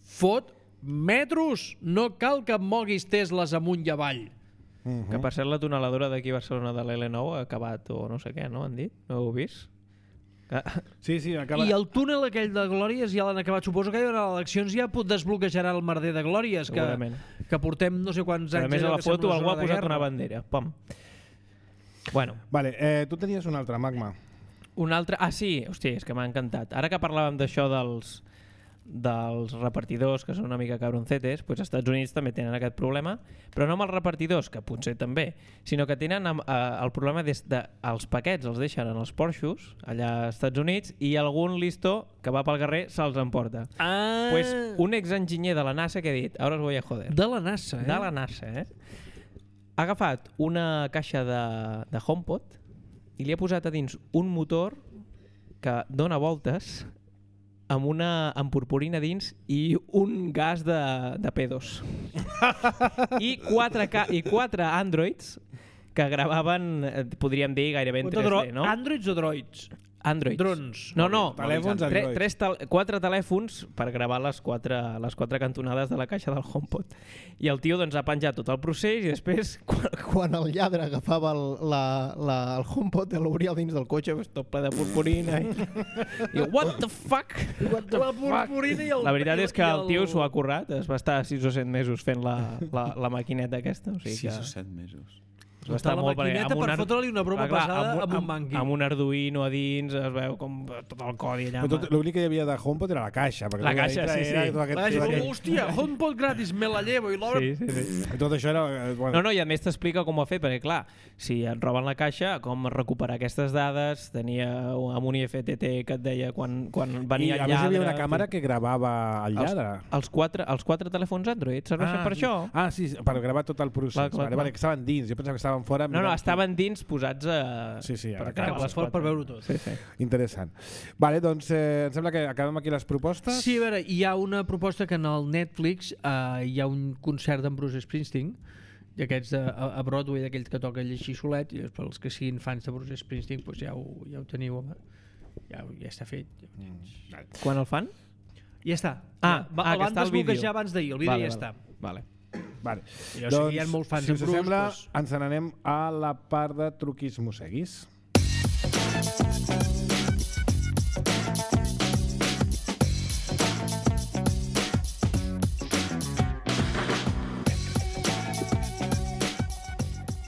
fot metros! No cal que moguis Tesles amunt i avall. Mhm. Que per cert la tuneladora d'aquí a Barcelona de l'L nou ha acabat o no sé què, no? Han dit? No ho heu vist? Que... Sí, sí, acaba... I el túnel aquell de Glòries ja l'han acabat. Suposo que a les eleccions ja pot desbloquejarà el merder de Glòries, que, Segurament. que portem no sé quants A anys... més, a allò la que sembla foto una algú ha zona de posat guerra. una bandera. Pam. Bueno, Vale, eh, tu tenies un altre, Magma. un altre... Ah, sí, hòstia, és que m'ha encantat. Ara que parlàvem d'això dels dels repartidors, que són una mica cabroncetes, doncs als Estats Units també tenen aquest problema, però no amb els repartidors, que potser també, sinó que tenen amb, eh, el problema des de els paquets els deixen en els porxos, allà als Estats Units, i algun listo que va pel carrer se'ls emporta. Ah, Pues un exenginyer de la NASA que ha dit, ara us voy a joder. de la NASA, eh? De la NASA, eh? Ha agafat una caixa de, de HomePod i li ha posat a dins un motor que dona voltes amb una amb purpurina dins i un gas de, de pedos. I quatre, ca i quatre Androids que gravaven, eh, podríem dir, gairebé en tres D, no? Androids o droids? Androids. Drons. No, no, Telèfons tre, Android. tres tel quatre telèfons per gravar les quatre, les quatre cantonades de la caixa del HomePod. I el tio doncs, ha penjat tot el procés i després, quan, quan el lladre agafava el, la, la, el HomePod i l'obria dins del cotxe, pues, tot ple de purpurina. I, i what the fuck? What the La purpurina i el... La veritat és que i el tio s'ho ha currat, es va estar sis o set mesos fent la, la, la maquineta aquesta. O sigui sis que... o set mesos. Es va Està estar la molt perquè maquineta amb un per ar- fotre-li una broma Clar, clar, pesada amb, amb un amb, mangui. amb un Arduino a dins, es veu com tot el codi allà. Tot, l'únic que hi havia de HomePod era la caixa. perquè La tot caixa, dintre sí, era sí. Tot, aquest, La tot, gent, aquest, hòstia, HomePod gratis, me la llevo. I l'obra... Sí, sí, sí. tot això era... eh, Bueno, No, no, i a més t'explica com ho ha fet, perquè clar, si et roben la caixa, com recuperar aquestes dades, tenia amb un I F T T que et deia quan, quan I venia a el més hi lladre... havia una càmera que gravava el els, lladre. els, quatre, els quatre telèfons Android serveixen per sí. això? Ah, sí, sí, per gravar tot el procés. Clar, clar, vale, clar. vale, que estaven dins. Jo pensava que estaven fora. No, no, mirant- estaven dins posats a... Sí, sí, a la per càmera. gravar les fort per quatre. veure-ho tot. Sí, sí. Interessant. Vale, doncs eh, em sembla que acabem aquí les propostes. Sí, a veure, hi ha una proposta que en el Netflix eh, hi ha un concert d'en Bruce Springsteen, d'aquests de, a, a Broadway, d'aquells que toca ell així solet, i per als que siguin fans de Bruce Springsteen doncs ja, ho, ja ho teniu, home. Ja, ja està fet. Quan el fan? Ja està. Ah, va, ah, el que van està el vídeo. desbloquejar abans d'ahir, el vídeo Vale, ja vale. està. Vale. Vale. Jo sé que hi ha molts fans si en us Bruce, sembla, doncs- ens n'anem a la part de truquis mosseguis.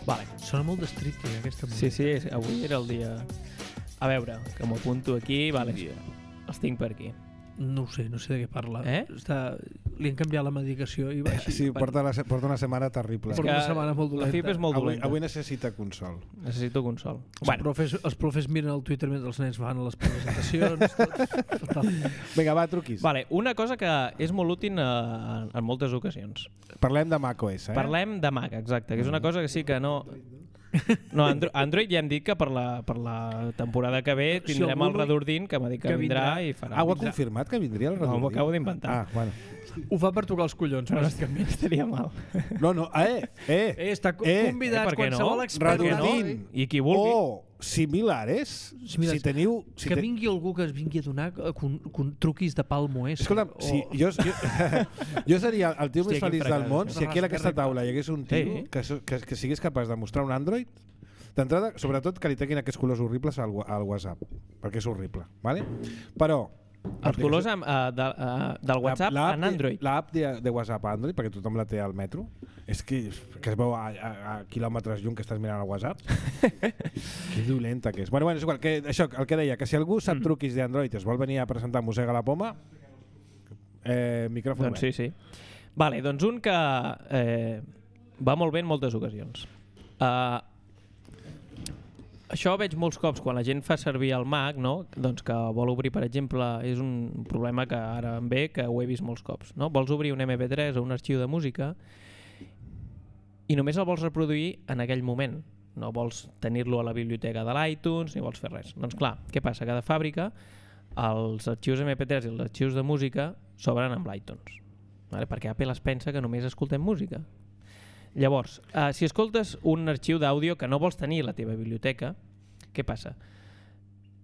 Vale. Sona molt de street, eh, aquesta música. Sí, sí, és- avui era el dia... A veure, que m'ho apunto aquí, vale. dia. Els tinc per aquí. No ho sé, no sé de què parla. Eh? Està... Li han canviat la medicació i va així. Sí, porta, la, porta una setmana terrible. Porta una setmana molt La dolenta. F I P és molt Avui, dolenta. avui necessita consol. Necessito consol. Els, Bueno, profes, els profes miren el Twitter mentre els nens fan les presentacions. Tot. Fatal. Vinga, va, truquis. vale, una cosa que és molt útil eh, en moltes ocasions. Parlem de macOS, eh? Parlem de Mac, exacte, que és una cosa que sí que no... No, Andro Android ja hem dit que per la, per la temporada que ve Si tindrem algú el no- Redordin que m'ha dit que, que vindrà, vindrà. i farà. Ah, ho ha confirmat que vindria el No, Redordin? m'ho acabo d'inventar. Ah, bueno. Ho fa per tocar els collons, bàsicament. Estaria mal. No, no, eh, eh. Eh, està co- Eh, convidats eh, per què no? qualsevol expert. Per què no? Redordin. I qui vulgui. O similares, Similars. si teniu... Si que te- vingui algú que es vingui a donar eh, con, con truquis de palmo, eh? Escolta'm, o... si, jo, jo, jo seria el tio Hòstia, més feliç quin del fracàs, món això. si aquí a aquesta taula hi hagués un tio Sí. que, so- que, que sigués capaç de mostrar un Android. D'entrada, sobretot que li treguin aquests colors horribles al, wa- al WhatsApp, perquè és horrible, ¿vale? Però... Els colors amb, uh, de, uh, del WhatsApp La- en l'app de- Android. L'app de, de WhatsApp a Android, perquè tothom la té al metro, és que, que es veu a, a, a quilòmetres lluny que estàs mirant el WhatsApp. Que dolenta que és. Bueno, bueno, és igual, que, això, el que deia, que si algú Mm. sap truquis d'Android i es vol venir a presentar Mossega la Poma, eh, micròfon Doncs sí, sí. Vale, doncs un que eh, va molt bé en moltes ocasions. Uh, això veig molts cops quan la gent fa servir el Mac, no? Doncs que vol obrir, per exemple, és un problema que ara em ve, que ho he vist molts cops, no? Vols obrir un eme pe tres o un arxiu de música i només el vols reproduir en aquell moment. No vols tenir-lo a la biblioteca de l'iTunes ni vols fer res. Doncs clar, què passa? Que de fàbrica els arxius eme pe tres i els arxius de música s'obren amb l'iTunes. Vale? Perquè Apple es pensa que només escoltem música. Llavors, uh, si escoltes un arxiu d'àudio que no vols tenir a la teva biblioteca, què passa?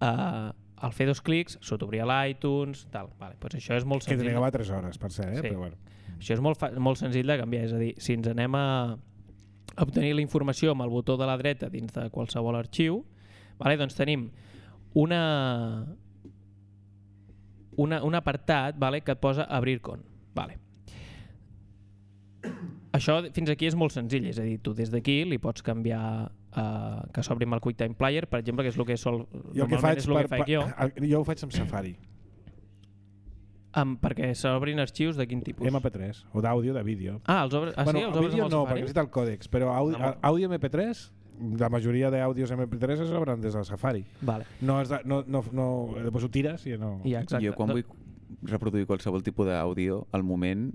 Uh, al fer dos clics s'ho t'obria l'iTunes, tal. Vale, doncs això és molt Que senzill. trigava tres hores, per ser, eh? Sí. Però bueno. Això és molt, fa molt senzill de canviar, és a dir, si ens anem a obtenir la informació amb el botó de la dreta dins de qualsevol arxiu, vale, doncs tenim una, una, un apartat, vale, que et posa abrir con. Vale. Això fins aquí és molt senzill, és a dir, tu des d'aquí li pots canviar uh, que s'obri amb el QuickTime Player, per exemple, que és el que sol, Jo el que normalment faig, és el per, que faig jo, per, jo ho faig amb Safari, amb, perquè s'obrin arxius de quin tipus? eme pe tres, o d'àudio, de vídeo. Ah, els obres, ah, bueno, sí, els obres vídeo amb el no, Safari? perquè necessita el còdex, però àudio, Ah, molt. àudio eme pe tres, la majoria d'àudios eme pe tres es obren des del Safari. Vale. No, has de, no, no, no, després ho tires i no... Ja, exacte. Jo quan Do- vull reproduir qualsevol tipus d'àudio, al moment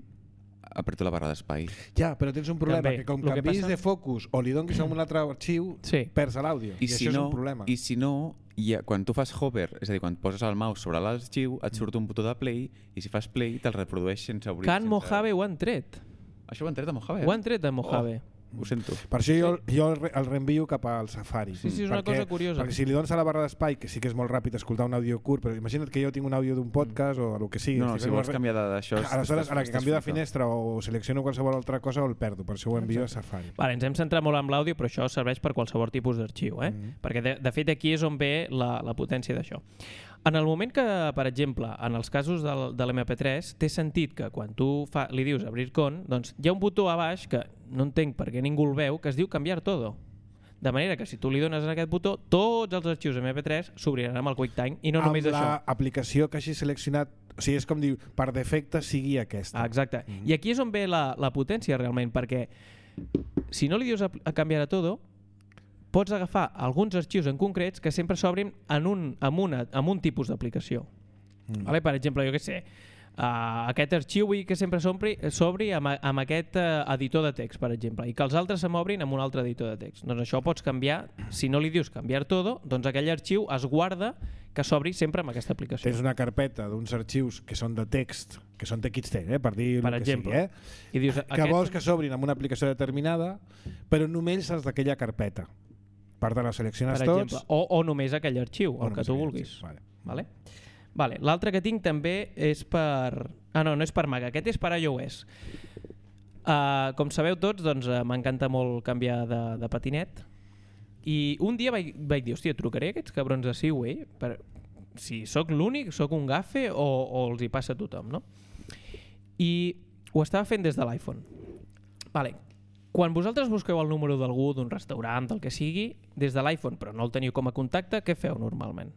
apreto la barra d'espai. Ja, però tens un problema, També. que com Lo que canvis passa- de focus o li donis a un altre arxiu, Sí. perds l'àudio. I, I, si això no, és un problema. I si no, hi ha, quan tu fas hover, és a dir, quan poses el mouse sobre l'arxiu, et surt un botó de play i si fas play te'l reprodueix sense obrir. Can sense... Mojave ho han tret. Això ho han tret de Mojave? Ho han tret de Mojave. Oh, ho sento. Per això jo, jo el, re- el reenvio cap al Safari. Sí, sí, és una perquè, cosa curiosa. Perquè si li dones a la barra d'espai, que sí que és molt ràpid escoltar un àudio curt, però imagina't que jo tinc un àudio d'un podcast o el que sigui. No, no, estic si fent vols una re- canviar de- d'això... és- Aleshores, estàs- a la que estàs canvio de frito. finestra o selecciono qualsevol altra cosa o el perdo, per això ho envio a Safari. Vale, ens hem centrat molt en l'àudio, però això serveix per qualsevol tipus d'arxiu, eh? Mhm. Perquè de, de fet aquí és on ve la, la potència d'això. En el moment que, per exemple, en els casos del, de l'eme pe tres, té sentit que quan tu fa, li dius abrir con, doncs hi ha un botó a baix que no entenc per què ningú el veu, que es diu canviar todo. De manera que si tu li dones a aquest botó, tots els arxius eme pe tres s'obriran amb el QuickTime i no només amb això. l'aplicació que hagi seleccionat, o sigui, és com diu, per defecte sigui aquesta. Ah, exacte. Mm -hmm. I aquí és on ve la, la potència realment, perquè si no li dius a, a canviar a todo, pots agafar alguns arxius en concrets que sempre s'obrin en un, amb, una, amb un tipus d'aplicació. Mm. Vale? Per exemple, jo què sé, uh, aquest arxiu vull que sempre s'ompli- s'obri amb, amb aquest uh, editor de text, per exemple, i que els altres se m'obrin amb un altre editor de text. Doncs això ho pots canviar, si no li dius canviar todo, doncs aquell arxiu es guarda que s'obri sempre amb aquesta aplicació. Tens una carpeta d'uns arxius que són de text, que són te text, eh, per dir Per el que exemple. sigui, eh? I dius, que aquest- vols que s'obrin amb una aplicació determinada, però només els d'aquella carpeta. Per tant, els selecciones per tots... exemple, o, o només aquell arxiu, o el que només tu aquell vulguis. arxiu, Vale. Vale? Vale. L'altre que tinc també és per... Ah, no, no és per Mac, aquest és per iOS. Uh, com sabeu tots, doncs, uh, m'encanta molt canviar de, de patinet i un dia vaig, vaig dir, hòstia, trucaré a aquests cabrons de Seaway per, si sóc l'únic, sóc un gafe o, o els hi passa a tothom, no? I ho estava fent des de l'iPhone. Vale. Quan vosaltres busqueu el número d'algú, d'un restaurant, del que sigui, des de l'iPhone, però no el teniu com a contacte, què feu normalment?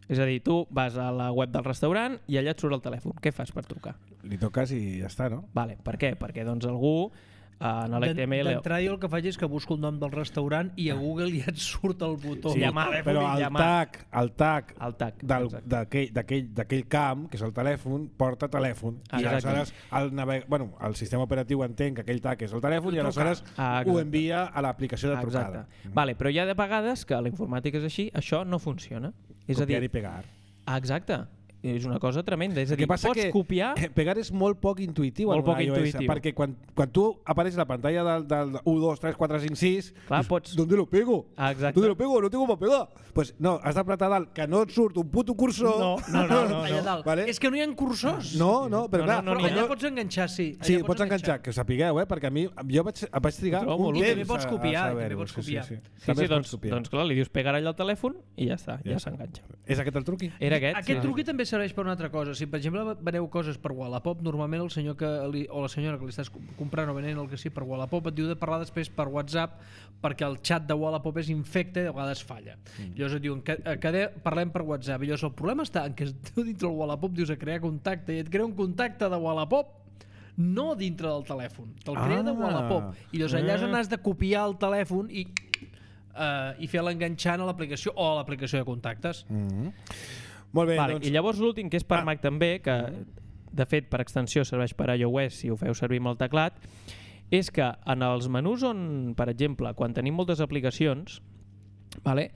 És a dir, tu vas a la web del restaurant i allà et surt el telèfon. Què fas per trucar? Li toques i ja està, no? Vale. Per què? Perquè doncs algú en l'H T M L... D'entrada jo el que faig és que busco el nom del restaurant i a Google ja et surt el botó. Sí, llamar, però el llamar. tag, el tag, El tag, del- exacte. d'aquell d'aquell- d'aquell camp, que és el telèfon, porta telèfon. I Exacte. aleshores el, naveg... bueno, el sistema operatiu entén que aquell tag és el telèfon i aleshores Ah, ho exacte. envia a l'aplicació de trucada. Exacte. Vale, però hi ha de vegades que la informàtica és així, això no funciona. És a dir, Copiar i pegar. ah, exacte. És una cosa tremenda. És a El que dir, passa pots que copiar... eh, pegar és molt poc intuïtiu Molt en poc un iOS, intuïtiu. perquè quan, quan tu apareix la pantalla del, del u, dos, tres, quatre, cinc, sis, Clar, dius, pots- ¿dónde lo pego? Ah, exacte. ¿Dónde lo pego? No tengo para pegar. Pues no, has d'apretar dalt, que no et surt un puto cursor. No, no, no, no, Allà dalt. Vale? És que no hi ha cursors. No, no, però No, clar, no, no, Però no, allà no- pots enganxar, sí. Sí, Allà pots enganxar, que ho sapigueu, eh? perquè a mi jo vaig, vaig trigar Ho trobo un molt temps útil. També pots a- a copiar, saber-ho, també pots copiar. Sí, sí, sí. Sí, També sí, es pot doncs, copiar. doncs clar, li dius pegar allà al telèfon i ja està, ja Ja. s'enganxa. És aquest el truqui? Era aquest? Aquest sí. truqui també serveix per una altra cosa. Si, per exemple, veneu coses per Wallapop, normalment el senyor que li, o la senyora que li estàs comprant o venent el que sigui per Wallapop et diu de parlar després per WhatsApp perquè el xat de Wallapop és infecte i a vegades falla. Mm. Llavors et diuen que, que de, parlem per WhatsApp. I llavors el problema està en que tu dintre del Wallapop dius a crear contacte i et crea un contacte de Wallapop no dintre del telèfon, te'l crea de Ah. Wallapop. I llavors allà és on Ah. has de copiar el telèfon i, uh, i fer l'enganxant a l'aplicació o a l'aplicació de contactes. Mm -hmm. Molt bé, Vale, doncs... I llavors l'últim, que és per Ah. Mac també, que de fet per extensió serveix per iOS si ho feu servir amb el teclat, és que en els menús on, per exemple, quan tenim moltes aplicacions, vale,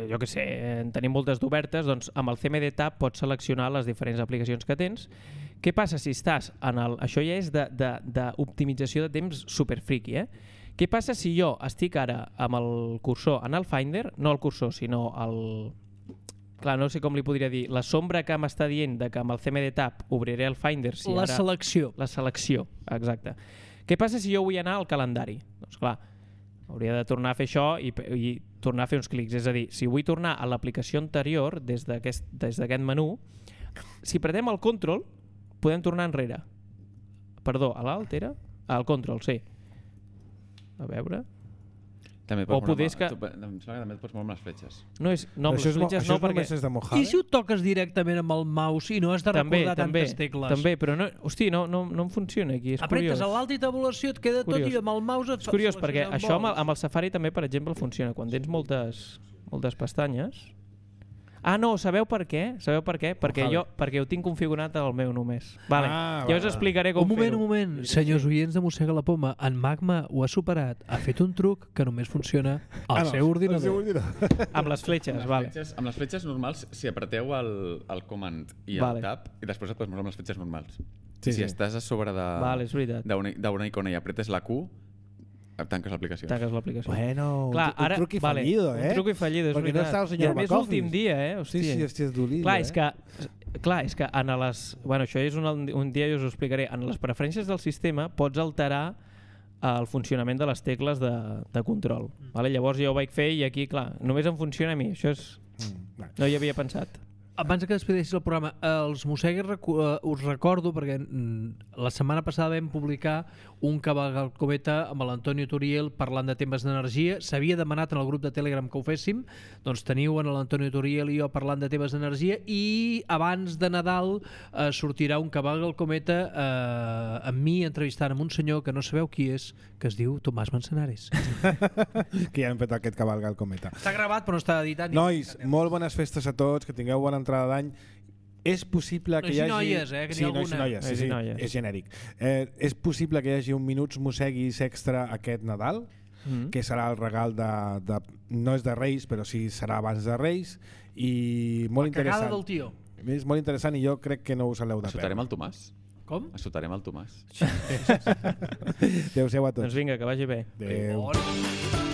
jo que sé, en tenim moltes d'obertes, doncs amb el C M D Tab pots seleccionar les diferents aplicacions que tens. Què passa si estàs en el... Això ja és d'optimització de, de, de temps super friki, eh? Què passa si jo estic ara amb el cursor en el Finder, no el cursor, sinó el... Clar, no sé com li podria dir. La sombra que m'està dient de que amb el C M D Tab obriré el Finder... Si La ara... selecció. La selecció, exacte. Què passa si jo vull anar al calendari? Doncs clar, hauria de tornar a fer això i, i tornar a fer uns clics. És a dir, si vull tornar a l'aplicació anterior des d'aquest des d'aquest menú, si pretem el control, podem tornar enrere. Perdó, a l'alt era? Al control, sí. A veure... També O pots moure poder amb- és que- tu, em sembla que també et pots moure amb les fletxes. No, és, no, amb això les és, mo- fletxes això no, perquè... només és de Mojave? I si ho toques directament amb el mouse i no has de També, recordar també, tantes tecles? també, però no, hosti, no, no, no em funciona aquí, és Apretes curiós. a l'alta i tabulació, et queda tot Curiós. i amb el mouse et És curiós fa- perquè selecciona on això amb el, vols. amb el Safari també, per exemple, funciona. Quan tens moltes, moltes pestanyes... Ah, no, sabeu per què? Sabeu per què? Perquè Mojave. jo perquè ho tinc configurat al meu només. Vale. Ah, ja us va. explicaré com Un moment, fer-ho. un moment. Senyors oients de Mossega la Poma, en Magma ho ha superat. Ha fet un truc que només funciona al Ah, no, seu ordinador. al seu ordinador. Amb les fletxes, Amb les vale. fletxes, amb les fletxes normals, si apreteu el, el command i el Vale. tab, i després et pots moure amb les fletxes normals. Sí, si sí. estàs a sobre de- Vale, és veritat. d'una d'una icona i apretes la Q, tanques l'aplicació. Tanques l'aplicació. Bueno, Clar, un, ara, un truqui vale, fallido, eh? Un truqui fallido, és Perquè no veritat. està el I senyor a més McCoffins. l'últim dia, eh? Sí, Hòstia. sí, hòstia, és dolent, Clar, eh? és que, clar, és que en les... Bueno, això és un, un dia jo us ho explicaré. En les preferències del sistema pots alterar el funcionament de les tecles de, de control. Vale? Llavors jo ho vaig fer i aquí, clar, només em funciona a mi. Això és... Mm, vale. No hi havia pensat. Abans que despedeixis el programa, els mossegues recu- eh, us recordo, perquè mm, la setmana passada vam publicar un cavalc cometa amb l'Antonio Turiel parlant de temes d'energia. S'havia demanat en el grup de Telegram que ho féssim, doncs teniu en l'Antonio Turiel i jo parlant de temes d'energia, i abans de Nadal eh, sortirà un cavalc al cometa eh, amb mi entrevistant amb un senyor que no sabeu qui és, que es diu Tomàs Manzanares. Que ja hem fet aquest cavalc al cometa. Està gravat però no està editat. ni Nois, editat. molt bones festes a tots, que tingueu bona entrada d'any. És possible que Nois hi i hagi... noies, eh, que sí, n'hi ha nois i alguna. noies, sí, Nois i sí, noies. és genèric. Eh, és possible que hi hagi un Minuts Mosseguis extra aquest Nadal, Mm. que serà el regal de, de... No és de Reis, però sí serà abans de Reis, i molt La cagada interessant. del tio. És molt interessant i jo crec que no us l'heu de Assotarem perdre. el Tomàs? Com? Assotarem el Tomàs. Adéu-siau a tots. Doncs vinga, que vagi bé. Adéu. Bon.